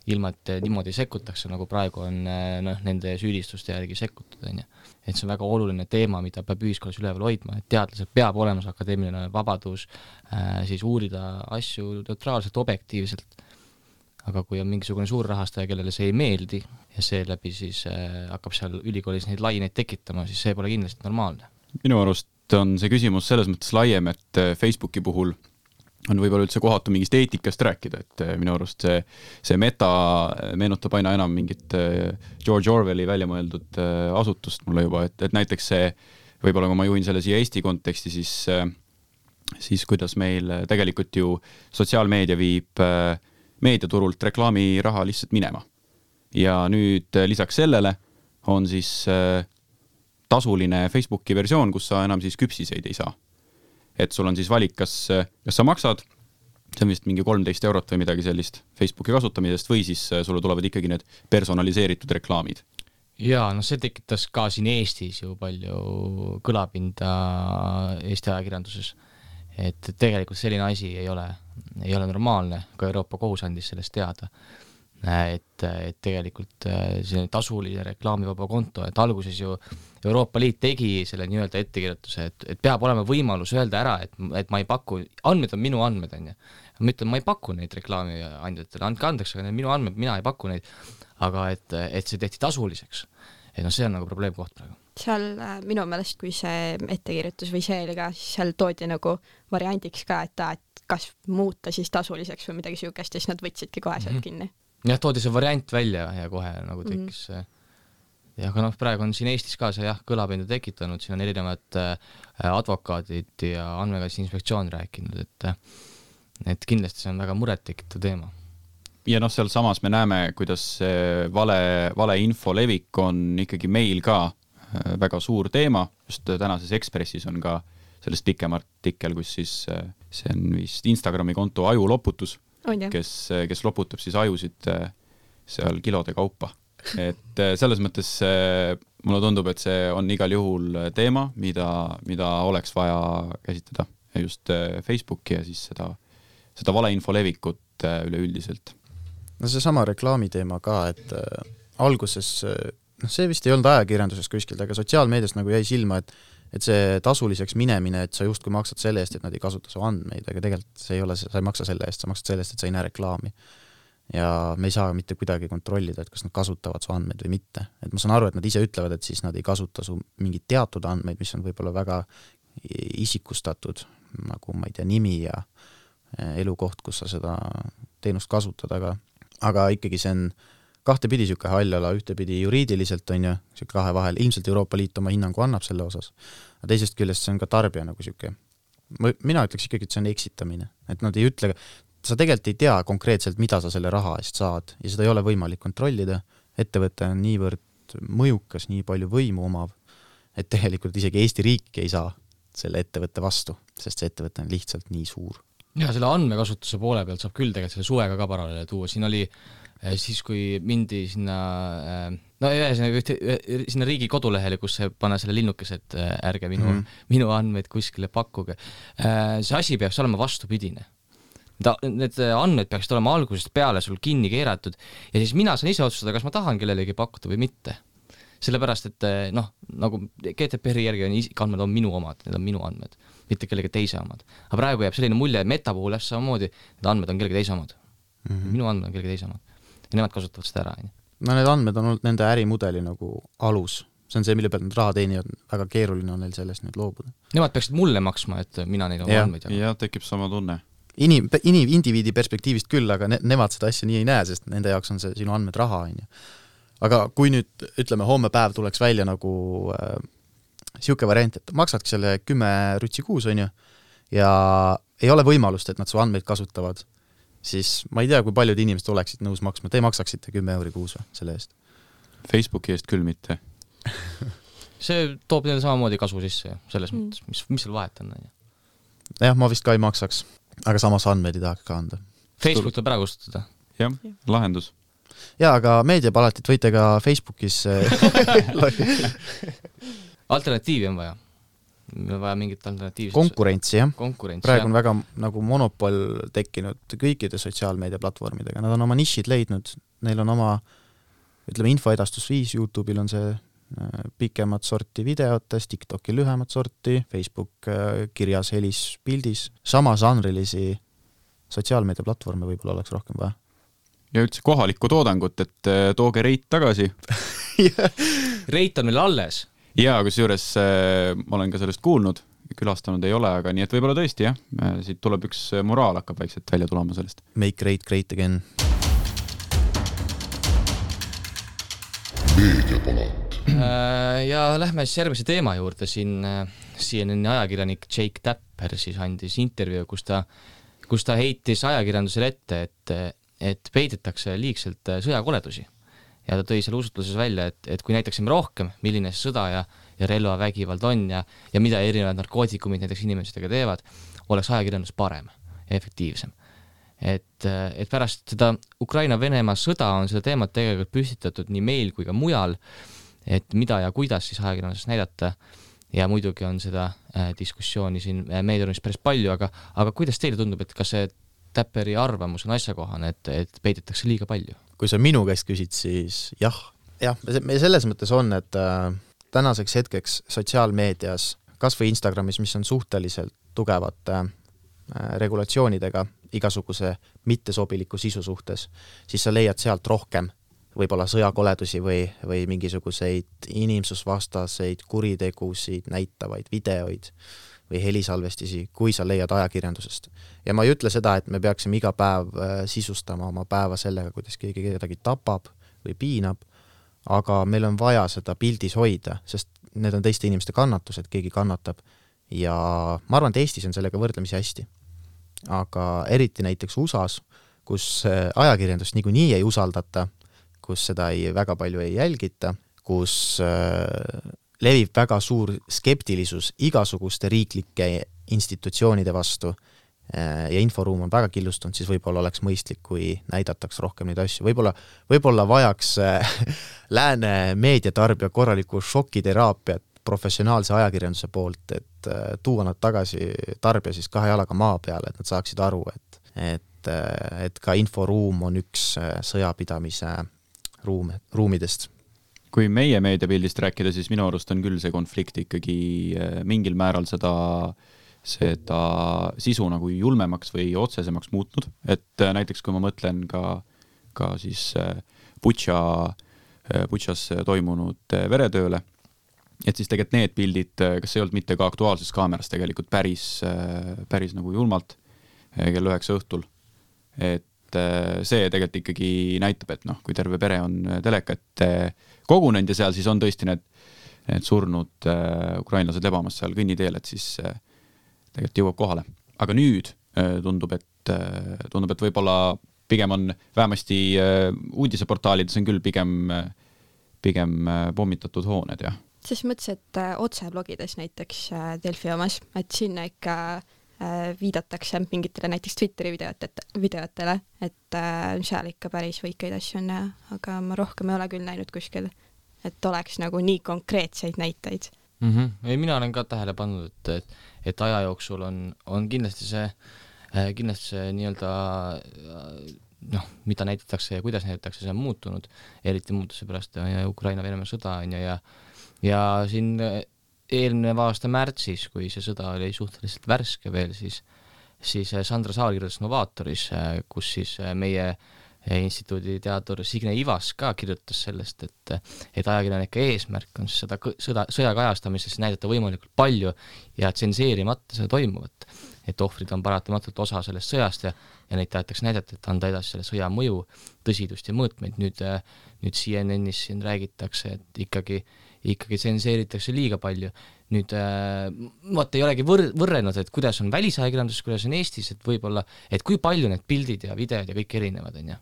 ilma et niimoodi sekkutakse, nagu praegu on nende süüdistuste järgi sekkutud. Et see on väga oluline teema, mida peab ühiskonnas üleval hoidma, et teadlased peab olema akadeemiline vabadus siis uurida asju neutraalselt, objektiivselt. Aga kui on mingisugune suur rahastaja, kellele see ei meeldi ja seeläbi siis hakkab seal ülikoolis neid laineid tekitama, siis see pole kindlasti normaalne. Minu arust on see küsimus selles mõttes laiem, et Facebooki puhul on võib-olla üldse kohatu mingist eetikast rääkida, et minu arust see meta meenutab aina enam mingit George Orwelli välja mõeldud asutust mulle juba, et näiteks see, võib-olla kui ma juhin selle siia Eesti konteksti, siis kuidas meil tegelikult ju sotsiaalmeedia viib meediaturult reklaamiraha lihtsalt minema. Ja nüüd lisaks sellele on siis tasuline Facebooki versioon, kus sa enam siis küpsiseid ei saa. Et sul on siis valik, kas sa maksad, see on vist mingi 13 eurot või midagi sellist Facebooki kasutamisest või siis sulle tulevad ikkagi need personaliseeritud reklaamid. Jaa, see tekitas ka siin Eestis ju palju kõlapinda Eesti ajakirjanduses, et tegelikult selline asi ei ole normaalne, ka Euroopa kohus andis sellest teada. et tegelikult see tasuline reklaamivaba konto, et alguses ju Euroopa Liit tegi selle nii-öelda ettekirjutuse, et peab olema võimalus öelda ära, et ma ei paku, andmed on minu andmed, on ju. Ma ütlen, ma ei paku neid reklaamiandjatele, andke andeks, aga need minu andmed, mina ei paku neid, aga et see tehti tasuliseks. Et no see on nagu probleemkoht praegu. Seal minu meelest, kui see ettekirjutus või see oli ka, siis seal toodi nagu variandiks ka, et kas muuta siis tasuliseks või midagi siukest, ja siis nad võtsidki kohe sealt kinni. Jah, toodi see variant välja ja kohe nagu tekkis ja aga praegu on siin Eestis ka see kõlapinda tekitanud, siin on erinevad advokaadid ja andmekaitse inspektsioon rääkinud, et kindlasti see on väga muret tekitav teema. Ja seal samas me näeme, kuidas vale info levik on ikkagi meil ka väga suur teema, just tänases Ekspressis on ka sellest pikem artikkel, kus siis see on vist Instagrami konto aju loputus, kes loputab siis ajusid seal kilode kaupa. Et selles mõttes mulle tundub, et see on igal juhul teema, mida oleks vaja käsitleda just Facebooki ja siis seda valeinfo levikut üleüldiselt. No see sama reklaami teema ka, et alguses, see vist ei olnud ajakirjanduses kuskilt, aga sotsiaalmeedias nagu jäi silma, et see tasuliseks minemine, et sa just kui maksad selle eest, et nad ei kasuta su andmeid, aga tegelikult see ei ole, sa ei maksa selle eest, sa maksad selle eest, et sa ei näe reklaami. Ja me ei saa mitte kuidagi kontrollida, et kas nad kasutavad su andmeid või mitte. Et ma saan aru, et nad ise ütlevad, et siis nad ei kasuta su mingid teatud andmeid, mis on võib-olla väga isikustatud, nagu ma ei tea, nimi ja elukoht, kus sa seda teenust kasutad, aga ikkagi see on kahtepidi siuke hallala, ühtepidi juriidiliselt on ju, siuke kahe vahel, ilmselt Euroopa Liit oma hinnangu annab selle osas, aga teisest küljest see on ka tarbija nagu siuke, mina ütleks ikkagi, et see on eksitamine, et nad ei ütle, sa tegelikult ei tea konkreetselt, mida sa selle raha eest saad ja seda ei ole võimalik kontrollida, ettevõte on niivõrd mõjukas, nii palju võimu omav, et tegelikult isegi Eesti riik ei saa selle ettevõtte vastu, sest see ettevõte on lihtsalt nii suur. Ja selle andmekasutuse poole pealt saab küll tegelikult selle suvega ka paralleele tuua, siin oli siis, kui mindi sinna sinna riigi kodulehele, kus see pane selle linnukes, et ärge minu andmeid kuskile pakkuge. See asi peaks olema vastupidine. Need andmed peaksid olema algusest peale sul kinni keeratud ja siis mina saan ise otsustada, kas ma tahan kellelegi pakkuda või mitte. Sellepärast, et nagu GDPR-i järgi andmed on minu omad, need on minu andmed, mitte kellegi teise omad. Aga praegu jääb selline mulje, Meta puhul samamoodi, need andmed on kellegi teise omad. Minu andmed on kellegi teise omad. Ja nemad kasutavad seda ära. No need andmed on olnud nende ärimudeli nagu alus. See on see, mille pealt nad raha teenivad, väga keeruline on neil sellest nüüd loobuda. Nemad peaksid mulle maksma, et mina neil oma andmeid ja tekib sama tunne. Indiviidi perspektiivist küll, aga nemad seda asja nii ei näe, sest nende jaoks on see sinu andmed raha. Aga kui nüüd, ütleme, homme päev tuleks välja nagu siuke variant, et maksadki selle 10 rütsi kuus, on ju, ja ei ole võimalust, et nad su andmeid kasutavad, siis ma ei tea, kui paljud inimesed oleksid nõus maksma. Te maksaksite 10 euri kuus selle eest? Facebooki eest küll mitte. See toob neile samamoodi kasu sisse selles mõttes, mis seal vahet on. Jah, ma vist ka ei maksaks, aga samas andmeid ei tahaks ka anda. Facebook tuleb ära kustutada. Jah, lahendus. Ja, aga meediapalatit võite ka Facebookis alternatiivi on vaja. Meil on vaja mingit alternatiivset. Konkurentsi, jah. Konkurentsi, praegu on väga nagu monopol tekkinud kõikide sotsiaalmeediaplatvormidega. Nad on oma nišid leidnud, neil on oma, ütleme, infoedastusviis, YouTube'il on see pikemat sorti videotes, TikTokil lühemat sorti, Facebook kirjas, helis, pildis. Sama žanrilisi sotsiaalmeediaplatvorme võib-olla oleks rohkem vaja. Ja üldse kohalikku toodangut, et tooge Reit tagasi. Reit on meil alles. Ja, kus juures ma olen ka sellest kuulnud, külastanud ei ole, aga nii et võib-olla tõesti, jah. Siit tuleb üks moraal hakkab vaikselt välja tulema sellest. Make Reit great again. Meediapalat. Ja lähme siis järgmise teema juurde. Siin CNN ajakirjanik Jake Tapper siis andis intervjuu, kus ta heitis ajakirjandusele ette, et peidetakse liigselt sõjakoledusi. Ja ta tõi selle usutluses välja, et kui näitaksime rohkem, milline sõda ja relvavägivald on ja mida erinevad narkootikumid näiteks inimestega teevad, oleks ajakirjandus parem ja efektiivsem. Et pärast seda Ukraina-Venemaa sõda on seda teemat tegelikult püstitatud nii meil kui ka mujal, et mida ja kuidas siis ajakirjanduses näidata ja muidugi on seda diskussiooni siin meediaruumis päris palju, aga kuidas teile tundub, et kas see Tapperi arvamus on asjakohane, et peidetakse liiga palju? kui sa minu käest küsid, siis jah, selles mõttes on, et tänaseks hetkeks sotsiaalmeedias, kas või Instagramis, mis on suhteliselt tugevate regulatsioonidega igasuguse mittesobiliku sisu suhtes, siis sa leiad sealt rohkem võib-olla sõjakoledusi või mingisuguseid inimsusvastaseid kuritegusid näitavaid videoid või helisalvestisi, kui sa leiad ajakirjandusest. Ja ma ei ütle seda, et me peaksime iga päev sisustama oma päeva sellega, kuidas keegi kedagi tapab või piinab, aga meil on vaja seda pildis hoida, sest need on teiste inimeste kannatused, keegi kannatab ja ma arvan, et Eestis on sellega võrdlemisi hästi. Aga eriti näiteks USAs, kus ajakirjandust niikuinii ei usaldata, kus seda väga palju ei jälgita, kus levib väga suur skeptilisus igasuguste riiklike institutsioonide vastu ja inforuum on väga killustunud, siis võib-olla oleks mõistlik, kui näidataks rohkem neid asju. Võib-olla vajaks lääne meediatarbija korralikku šokiteraapiat professionaalse ajakirjanduse poolt, et tuua nad tagasi tarbija siis 2 jalaga maa peale, et nad saaksid aru, et ka inforuum on üks sõjapidamise ruumidest. Kui meie meediapildist rääkida, siis minu arust on küll see konflikt ikkagi mingil määral seda sisu nagu julmemaks või otsesemaks muutnud, et näiteks kui ma mõtlen ka siis Butšas toimunud veretööle, et siis tegelikult need pildid, kas ei olnud mitte ka Aktuaalses Kaameras tegelikult päris nagu julmalt kell 9 õhtul, et see tegelikult ikkagi näitab, et kui terve pere on telekat kogunenud ja seal siis on tõesti need surnud ukrainlased lebamas seal kõnniteel, et siis tegelikult jõuab kohale. Aga nüüd tundub, et võib-olla pigem on vähemasti uudiseportaalides on küll pigem pommitatud hooned, jah. Ses mõttes, et otseblogides näiteks Delfi omas, et sinna ikka viidatakse mingitele näiteks Twitteri videotele, et seal ikka päris võikeid asju on, aga ma rohkem ei ole küll näinud kuskil, et oleks nagu nii konkreetseid näiteid. Ei, mina olen ka tähele pannud, et aja jooksul on kindlasti see nii-öelda mida näitatakse ja kuidas näitatakse, see on muutunud, eriti muutuse pärast Ukraina-Venemaa sõda ja siin eelmine aasta märtsis, kui see sõda oli suhteliselt värske veel, siis Sandra Saar kirjutas Novaatoris, kus siis meie instituudi teadur Signe Ivas ka kirjutas sellest, et ajakirjanike eesmärk on seda sõja kajastamises näidata võimalikult palju ja tsenseerimata seda toimuvat, et ohvrid on paratamatult osa sellest sõjast ja neid tahetakse näidata, et anda edasi selle sõja mõju, tõsidust ja mõõtmeid. Nüüd CNN-is siin räägitakse, et ikkagi tsenseeritakse liiga palju. Nüüd ei olegi võrrenud, et kuidas on välisajakirjandus, kuidas on Eestis, et võib-olla, et kui palju need pildid ja videod ja kõik erinevad, on.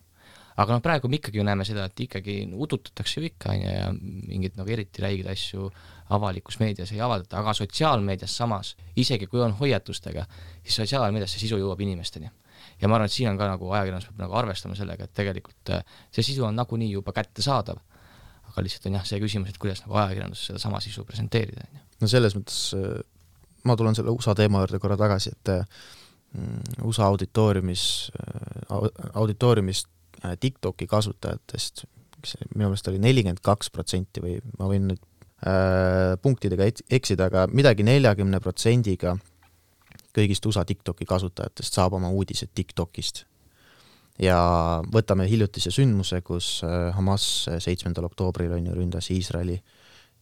Aga praegu me ikkagi näeme seda, et ikkagi udutatakse ju ikka ja mingid nagu eriti räigid asju avalikus meedias ei avaldata, aga sotsiaalmeedias samas, isegi kui on hoiatustega, siis sotsiaalmeedias see sisu jõuab inimesteni. Ja ma arvan, et siin on ka nagu ajakirjandus peab nagu arvestama sellega, et tegelikult see sisu on nagunii juba kätte saadav. Aga lihtsalt on see küsimus, et kuidas nagu ajakirjandus seda sama sisu presenteerida. No selles mõttes, ma tulen selle USA teema juurde korra tagasi, et USA auditooriumist TikToki kasutajatest, minu meelest oli 42% või ma võin nüüd punktidega eksida, aga midagi 40%-ga kõigist USA TikToki kasutajatest saab oma uudised TikTokist. Ja võtame hiljutise sündmuse, kus Hamas 7. oktoobril ründas Iisraeli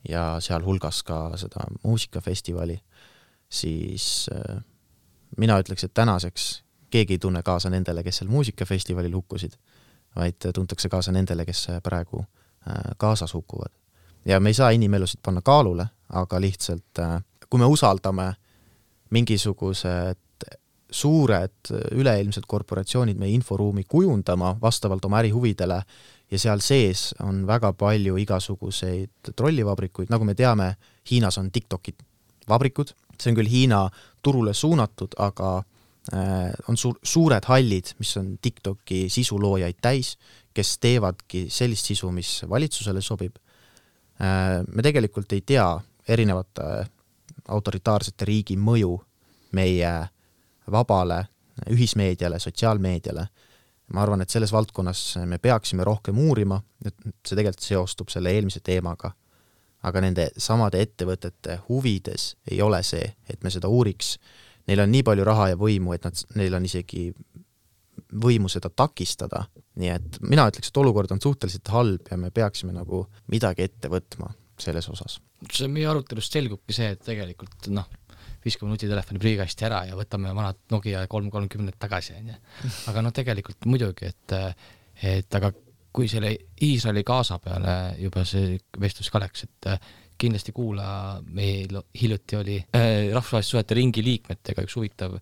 ja seal hulgas ka seda muusikafestivali, siis mina ütleks, et tänaseks keegi ei tunne kaasa nendele, kes seal muusikafestivalil hukkusid, vaid tuntakse kaasa nendele, kes praegu kaasas hukkuvad. Ja me ei saa inimelusid panna kaalule, aga lihtsalt kui me usaldame mingisugused suured üleilmsed korporatsioonid meie inforuumi kujundama vastavalt oma ärihuvidele ja seal sees on väga palju igasuguseid trollivabrikuid, nagu me teame, Hiinas on TikToki vabrikud, see on küll Hiina turule suunatud, aga on suured hallid, mis on TikToki sisuloojaid täis, kes teevadki sellist sisu, mis valitsusele sobib. Me tegelikult ei tea erinevate autoritaarsete riigi mõju meie vabale ühismeediale, sotsiaalmeediale. ma arvan, et selles valdkonnas me peaksime rohkem uurima, et see tegelikult seostub selle eelmise teemaga, aga nende samade ettevõtete huvides ei ole see, et me seda uuriks. Neil on nii palju raha ja võimu, et neil on isegi võimu seda takistada. Nii et mina ütleks, et olukord on suhteliselt halb ja me peaksime nagu midagi ette võtma selles osas. See meie arutelust selgubki see, et tegelikult viskame nutitelefoni prügikasti ära ja võtame vanad Nokia 330 tagasi. Aga tegelikult muidugi, et aga kui selle Iisraeli Gaza peale juba see vestlus ka läks, et kindlasti kuula, meil hiljuti oli rahvusvaheliste suhete ringi liikmetega üks huvitav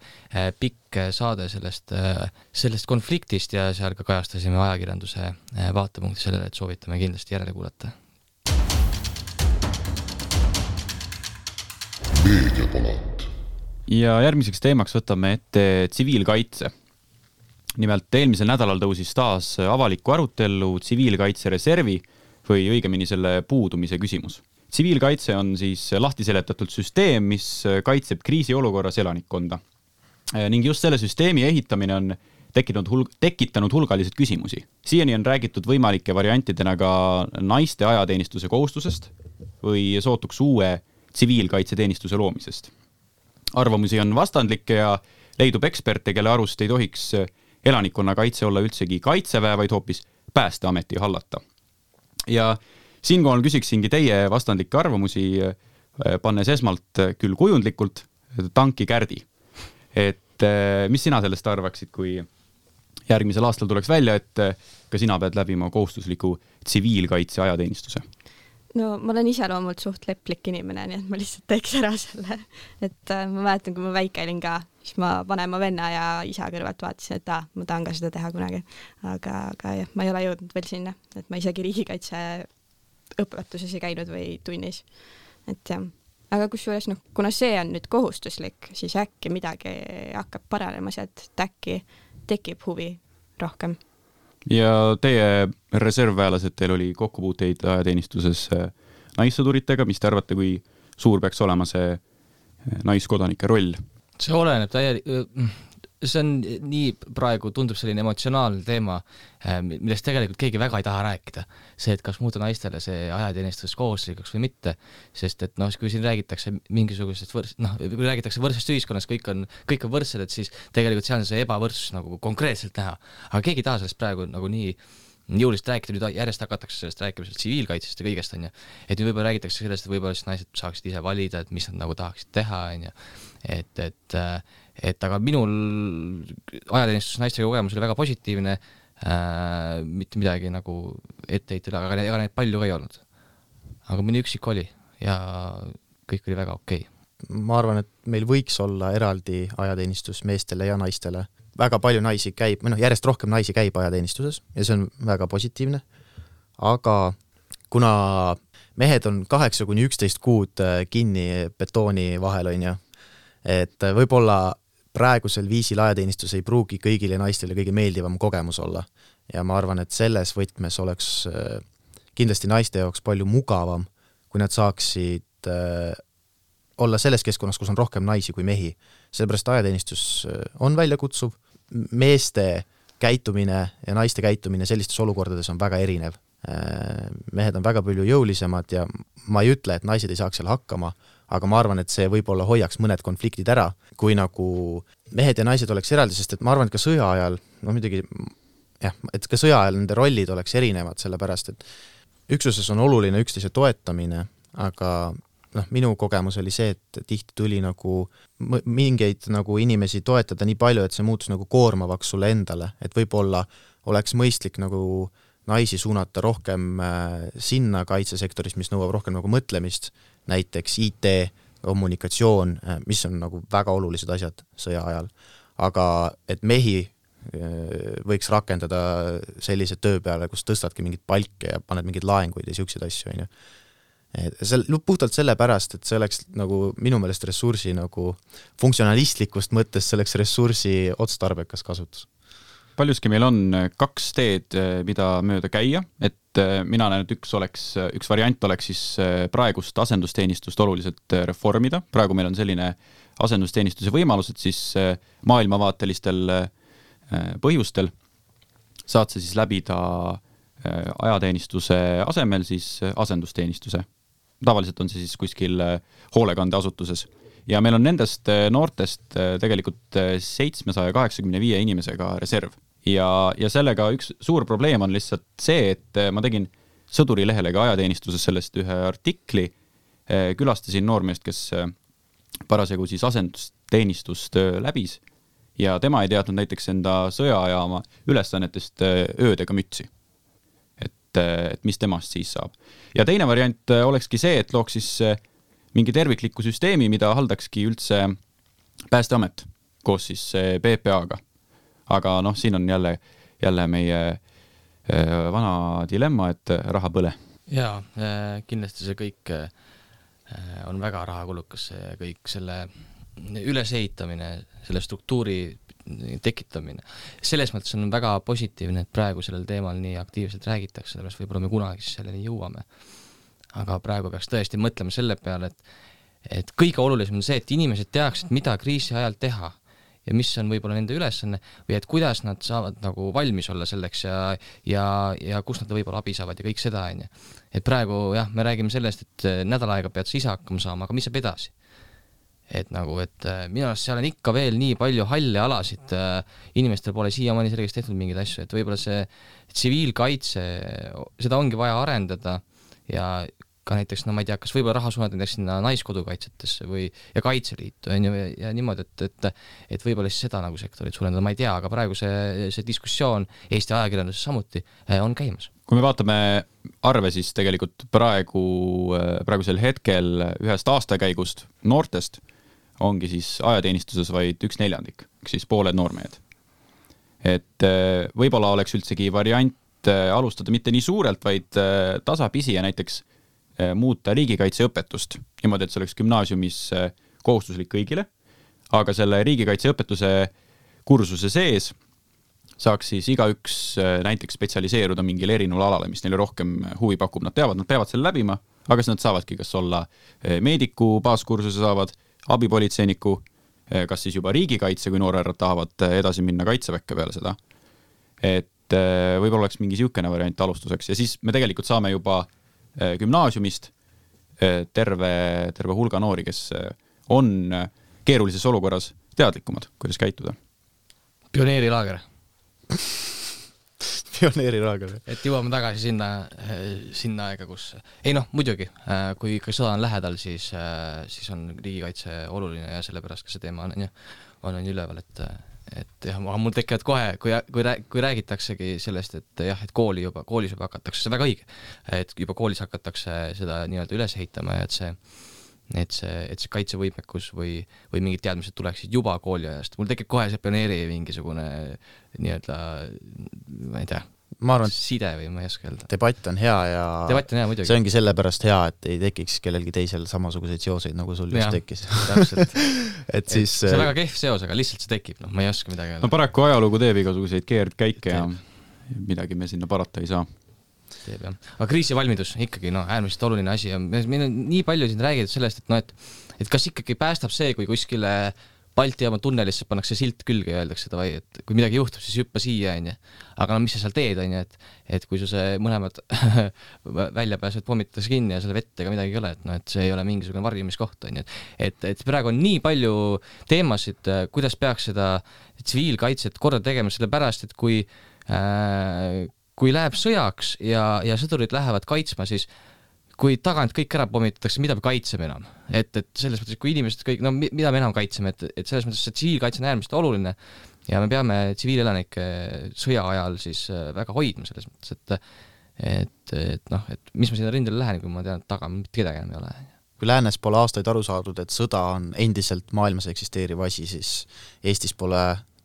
pikk saade sellest konfliktist ja seal ka kajastasime ajakirjanduse vaatepunkti sellele, et soovitame kindlasti järele kuulata. Meediapalat. Ja järgmiseks teemaks võtame ette tsiviilkaitse. Nimelt eelmisel nädalal tõusis taas avalikku arutellu tsiviilkaitsereservi või õigemini selle puudumise küsimus. Tsiviilkaitse on siis lahti seletatud süsteem, mis kaitseb kriisiolukorras elanikkonda. Ning just selle süsteemi ehitamine on tekitanud hulgalised küsimusi. Siiani on räägitud võimalike variantidena ka naiste ajateenistuse kohustusest või sootuks uue tsiviilkaitseteenistuse loomisest. Arvamusi on vastandlikke ja leidub eksperte, kelle arust ei tohiks elanikkonna kaitse olla üldsegi kaitseväe, vaid hoopis päästeameti hallata. Ja siinkohal küsiksingi teie vastandlikke arvamusi, pannes esmalt küll kujundlikult tanki Kärdi. Et mis sina sellest arvaksid, kui järgmisel aastal tuleks välja, et ka sina pead läbima kohustusliku tsiviilkaitse ajateenistuse? No ma olen ise loomult suht leplik inimene, nii et ma lihtsalt teeks ära selle. Et ma mäletan, kui ma väike olin ka, siis ma vanema venna ja isa kõrvalt vaatasin, et ma tahan ka seda teha kunagi. Aga jah, ma ei ole jõudnud veel sinna, et ma isegi riigikaitse õpetuses ei käinud või tunnis. Et jah. Aga kusjuures, kuna see on nüüd kohustuslik, siis äkki midagi hakkab paranema sealt, et äkki tekib huvi rohkem. Ja teie reservväelased, teil oli kokkupuuteid ajateenistuses naissõduritega, mis te arvate, kui suur peaks olema see naiskodanike roll? See oleneb see on nii praegu tundub selline emotsionaalne teema, millest tegelikult keegi väga ei taha rääkida. See, et kas muuta naistele see ajateenistus kohustuslikuks või mitte, sest et kui siin räägitakse mingisugusest kui räägitakse võrdsest ühiskonnas, kõik on võrdsed, et siis tegelikult seal on see ebavõrdsus nagu konkreetselt näha. Aga keegi ei taha sellest praegu nagu nii jõulist rääkida, nüüd järjest hakatakse sellest rääkimisest tsiviilkaitsest ja kõigest on. Et nüüd võib-olla räägitakse sellest, et võib-olla naised saaksid ise valida, et mis nad nagu tahaksid teha. Et aga minul ajateenistus naistega kogemus oli väga positiivne, mitte midagi nagu etteheitel, aga neid palju ka ei olnud. Aga mõni üksik oli ja kõik oli väga okei. Ma arvan, et meil võiks olla eraldi ajateenistus meestele ja naistele. Väga palju naisi käib, järjest rohkem naisi käib ajateenistuses ja see on väga positiivne. Aga kuna mehed on 8-11 kuud kinni betooni vahel on ju, et võib-olla praegusel viisil ajateenistus ei pruugi kõigile naistele kõige meeldivam kogemus olla. Ja ma arvan, et selles võtmes oleks kindlasti naiste jaoks palju mugavam, kui nad saaksid olla selles keskkonnas, kus on rohkem naisi kui mehi. Sellepärast ajateenistus on väljakutsuv. Meeste käitumine ja naiste käitumine sellistes olukordades on väga erinev. Mehed on väga palju jõulisemad ja ma ei ütle, et naised ei saaks seal hakkama, aga ma arvan, et see võib-olla hoiaks mõned konfliktid ära, kui nagu mehed ja naised oleks eraldi, sest et ma arvan, et ka sõja ajal, muidugi, et ka sõja ajal nende rollid oleks erinevad, sellepärast, et üksuses on oluline üksteise toetamine, aga minu kogemus oli see, et tihti tuli nagu mingeid nagu inimesi toetada nii palju, et see muutus nagu koormavaks sulle endale, et võib-olla oleks mõistlik nagu naisi suunata rohkem sinna kaitsesektoris, mis nõuab rohkem nagu mõtlemist, näiteks IT, kommunikatsioon, mis on nagu väga olulised asjad sõja ajal. Aga et mehi võiks rakendada sellise töö peale, kus tõstadki mingid palke ja paned mingid laenguid ja siukseid asju. Puhtalt selle pärast, et see oleks nagu minu meelest ressursi nagu funktsionalistlikust mõttes selleks ressursi otstarbekas kasutus. Paljuski meil on 2 teed, mida mööda käia, et mina näen, et üks variant oleks siis praegust asendusteenistust oluliselt reformida. Praegu meil on selline asendusteenistuse võimalus, et siis maailmavaatelistel põhjustel saad sa siis läbida ajateenistuse asemel siis asendusteenistuse. Tavaliselt on see siis kuskil hoolekandeasutuses. Ja meil on nendest noortest tegelikult 785 inimesega reserv. Ja sellega üks suur probleem on lihtsalt see, et ma tegin Sõduri lehele ka ajateenistuses sellest ühe artikli, külastasin noormeest, kes parasjagu siis asendusteenistust läbis ja tema ei teadnud näiteks enda sõjajaama ülesannetest öödega mütsi. Et mis temast siis saab. Ja teine variant olekski see, et looks siis mingi tervikliku süsteemi, mida haldakski üldse Päästeamet koos siis PPA-ga. Aga siin on jälle meie vana dilemma, et raha põle. Jaa, kindlasti see kõik on väga rahakulukas, kõik selle ülesehitamine, selle struktuuri tekitamine. Selles mõttes on väga positiivne, et praegu sellel teemal nii aktiivselt räägitakse, sellepärast võib-olla me kunagi selleni jõuame. Aga praegu peaks tõesti mõtlema selle peale, et kõige olulisem on see, et inimesed teaksid, mida kriisi ajal teha ja mis on võib-olla nende ülesanne või et kuidas nad saavad nagu valmis olla selleks ja kus nad võib-olla abi saavad ja kõik seda. Et praegu me räägime sellest, et nädal aega pead sa ise hakkama saama, aga mis saab edasi? Et minu arust seal on ikka veel nii palju halle alasid, inimestel pole siiamaani selgeks tehtud mingeid asju, et võib-olla see tsiviilkaitse, seda ongi vaja arendada ja ka näiteks, ma ei tea, kas võib-olla raha suunata näiteks sinna naiskodukaitsetesse ja Kaitseliitu ja niimoodi, et võib-olla siis seda nagu sektorit suurendada, ma ei tea, aga praegu see diskussioon Eesti ajakirjanduses samuti on käimas. Kui me vaatame arve, siis tegelikult praegusel hetkel ühest aastakäigust noortest ongi siis ajateenistuses vaid 1/4, siis pooled noormehed. Et võib-olla oleks üldsegi variant alustada mitte nii suurelt, vaid tasapisi ja näiteks muuta riigikaitseõpetust. Niimoodi, et see oleks gümnaasiumis kohustuslik kõigile, aga selle riigikaitseõpetuse kursuse sees saaks siis igaüks näiteks spetsialiseeruda mingile erinevale alale, mis neile rohkem huvi pakub. Nad peavad selle läbima, aga siis nad saavadki kas olla meediku baaskursuse saavad, abipolitseiniku, kas siis juba riigikaitse, kui noorerad tahavad edasi minna kaitseväkke peale seda. Et võib-olla oleks mingi siukene variant alustuseks ja siis me tegelikult saame juba gümnaasiumist terve hulga noori, kes on keerulises olukorras teadlikumad, kuidas käituda. Pioneerilaager. Pioneerilaager. Et jõuame tagasi sinna aega, kus... muidugi, kui ikka sõda on lähedal, siis on riigikaitse oluline ja sellepärast ka see teema on üleval, et jah, aga mul tekivad kohe, kui räägitaksegi sellest, et koolis juba hakatakse, see väga õige, et juba koolis hakatakse seda nii-öelda üles ehitama ja et see kaitsevõimekus või mingid teadmised tuleksid juba kooliajast. Mul tekib kohe see pioneeri mingisugune nii-öelda, ma ei tea, side või ma ei oska öelda. Debatt on hea ja muidugi. See ongi sellepärast hea, et ei tekiks kellelgi teisel samasuguseid seoseid, nagu sul just tekkis. Täpselt. Siis, see on väga kehv seos, aga lihtsalt see tekib, ma ei oska midagi öelda. No paraku ajalugu teeb igasuguseid keerdkäike ja midagi me sinna parata ei saa. Teeb, jah. Aga kriisivalmidus ikkagi äärmiselt oluline asi ja meil on nii palju siin räägitud sellest, et kas ikkagi päästab see, kui kuskile Balti jaama tunnelisse pannakse silt külge ja öeldakse, et kui midagi juhtub, siis hüppa siia, aga mis sa seal teed, et kui see mõlemad välja pääsed, pommitatakse kinni ja selle vette ega midagi ei ole, et see ei ole mingisugune varjumiskoht, et praegu on nii palju teemasid, kuidas peaks seda tsiviilkaitset korda tegema, sellepärast, et kui läheb sõjaks ja sõdurid lähevad kaitsma, siis kui tagant kõik ära pommitatakse, mida me kaitseme enam? Et selles mõttes, kui inimesed kõik, mida me enam kaitseme, et selles mõttes, et tsiviilkaitse on äärmiselt oluline ja me peame tsiviilelanike sõja ajal siis väga hoidma selles mõttes, et mis ma sinna rindele lähen, kui ma tean, et taga mitte kedagi enam ei ole. Kui läänes pole aastaid aru saadud, et sõda on endiselt maailmas eksisteeriv asi, siis Eestis pole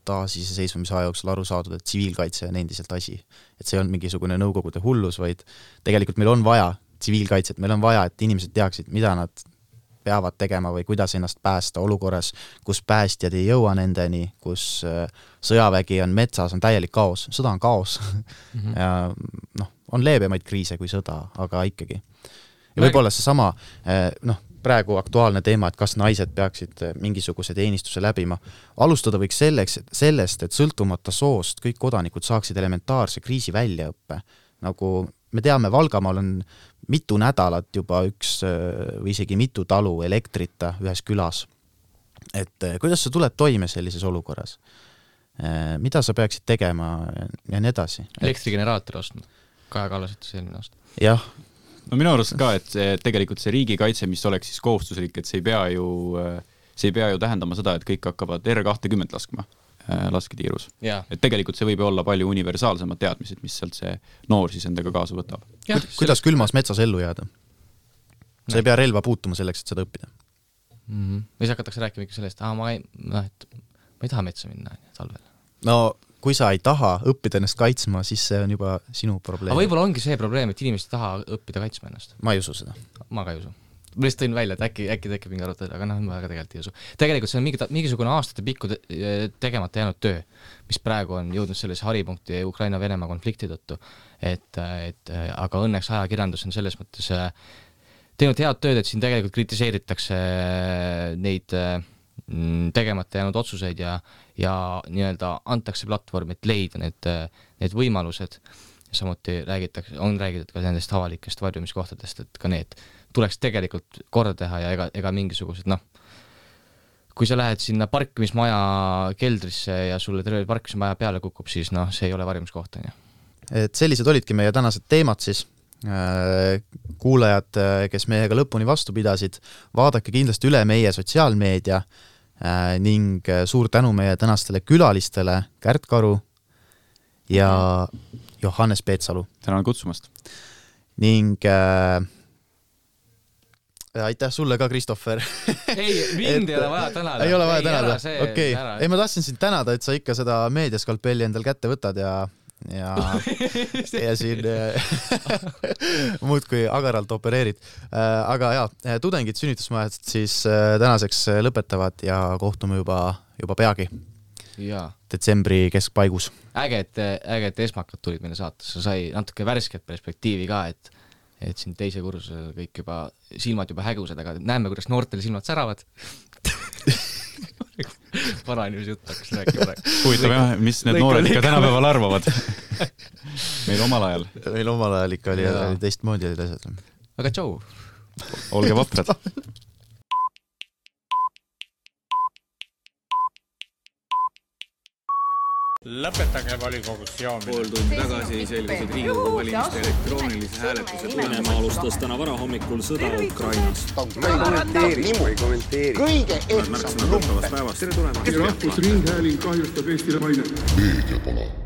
taasiseseisvumise aja jooksul aru saadud, et tsiviilkaitse on endiselt asi. Et see on mingisugune nõukogude hullus, vaid tegelikult meil on vaja tsiviilkaitset, meil on vaja, et inimesed teaksid, mida nad peavad tegema või kuidas ennast päästa olukorras, kus päästjad ei jõua nendeni, kus sõjavägi on metsas, on täielik kaos. Sõda on kaos. Ja on leebemaid kriise kui sõda, aga ikkagi. Ja võib-olla see sama, praegu aktuaalne teema, et kas naised peaksid mingisuguse teenistuse läbima. Alustada võiks sellest, et sõltumata soost kõik kodanikud saaksid elementaarse kriisi väljaõppe. Nagu me teame, Valgamaal on mitu nädalat juba üks või isegi mitu talu elektrita ühes külas. Et kuidas sa tuled toime sellises olukorras? Mida sa peaksid tegema ja nii edasi? Elektrigeneraator ostma. Kaja Kallas ütles eelmine aasta. Jah. No minu arust ka, et tegelikult see riigikaitse, mis oleks siis kohustuslik, et see ei pea ju tähendama seda, et kõik hakkavad R20 laskma lasketiirus. Et tegelikult see võib olla palju universaalsemad teadmised, mis sealt see noor siis endaga kaasa võtab. Kuidas külmas metsas ellu jääda? Sa ei pea relva puutuma selleks, et seda õppida. Või hakatakse rääkima ikka sellest, ma ei taha metsa minna talvel. No kui sa ei taha õppida ennast kaitsma, siis see on juba sinu probleem. Aga võib-olla ongi see probleem, et inimesed ei taha õppida kaitsma ennast. Ma ei usu seda. Ma ka ei usu. Ma lihtsalt tõin välja, et äkki tekib mingi arutada, aga ma väga tegelikult ei usu. Tegelikult see on mingisugune aastate pikku tegemata jäänud töö, mis praegu on jõudnud sellise haripunkti Ukraina-Venemaa konflikti tõttu. Aga õnneks ajakirjandus on selles mõttes teinud head tööd, et siin tegelikult kritiseeritakse neid tegemata jäänud otsuseid ja nii-öelda antakse platvorm, et leida need võimalused. Samuti on räägitud ka nendest avalikest varjumiskohtadest, et ka need tuleks tegelikult korda teha ja ega mingisugused, kui sa lähed sinna parkimismaja keldrisse ja sulle terve parkimismaja peale kukub, siis see ei ole varjumiskoht. Et sellised olidki meie tänased teemad siis. Kuulajad, kes meiega lõpuni vastu pidasid, vaadake kindlasti üle meie sotsiaalmeedia ning suur tänu meie tänastele külalistele Kärt Karu ja Johannes Peetsalu. Tänan kutsumast. Ning aitäh sulle ka, Kristoffer. Ei, mind ei ole vaja tänada. Ei ole vaja tänada. Okei. Ei, ma tahtsin sind tänada, et sa ikka seda meediaskalpelli endal kätte võtad ja siin muud kui agaralt opereerid. Aga tudengid sünnitusmajad siis tänaseks lõpetavad ja kohtume juba peagi. Detsembri keskpaigus. Äge, et esmakad tulid meile saatesse. Sai natuke värsket perspektiivi ka, et siin teise kursusel kõik juba silmad juba hägused, aga näeme, kuidas noortel silmad säravad. Vana inimese jutt hakkas rääkima. Huvitav jah, mis need noored ikka tänapäeval arvavad. Meil omal ajal ikka oli teistmoodi olid asjad. Aga tšau. Olge vaprad. Lõpetage volikogus joomine. Pool tundi tagasi selgus, et Riigikogu valimiste elektroonilise hääletuse Venemaa alustas täna varahommikul sõda Ukrainas. Ma ei kommenteeri. Kõige ehtsam lumpen. Rahvusringhääling kahjustab Eestile mainet. Meediapalat.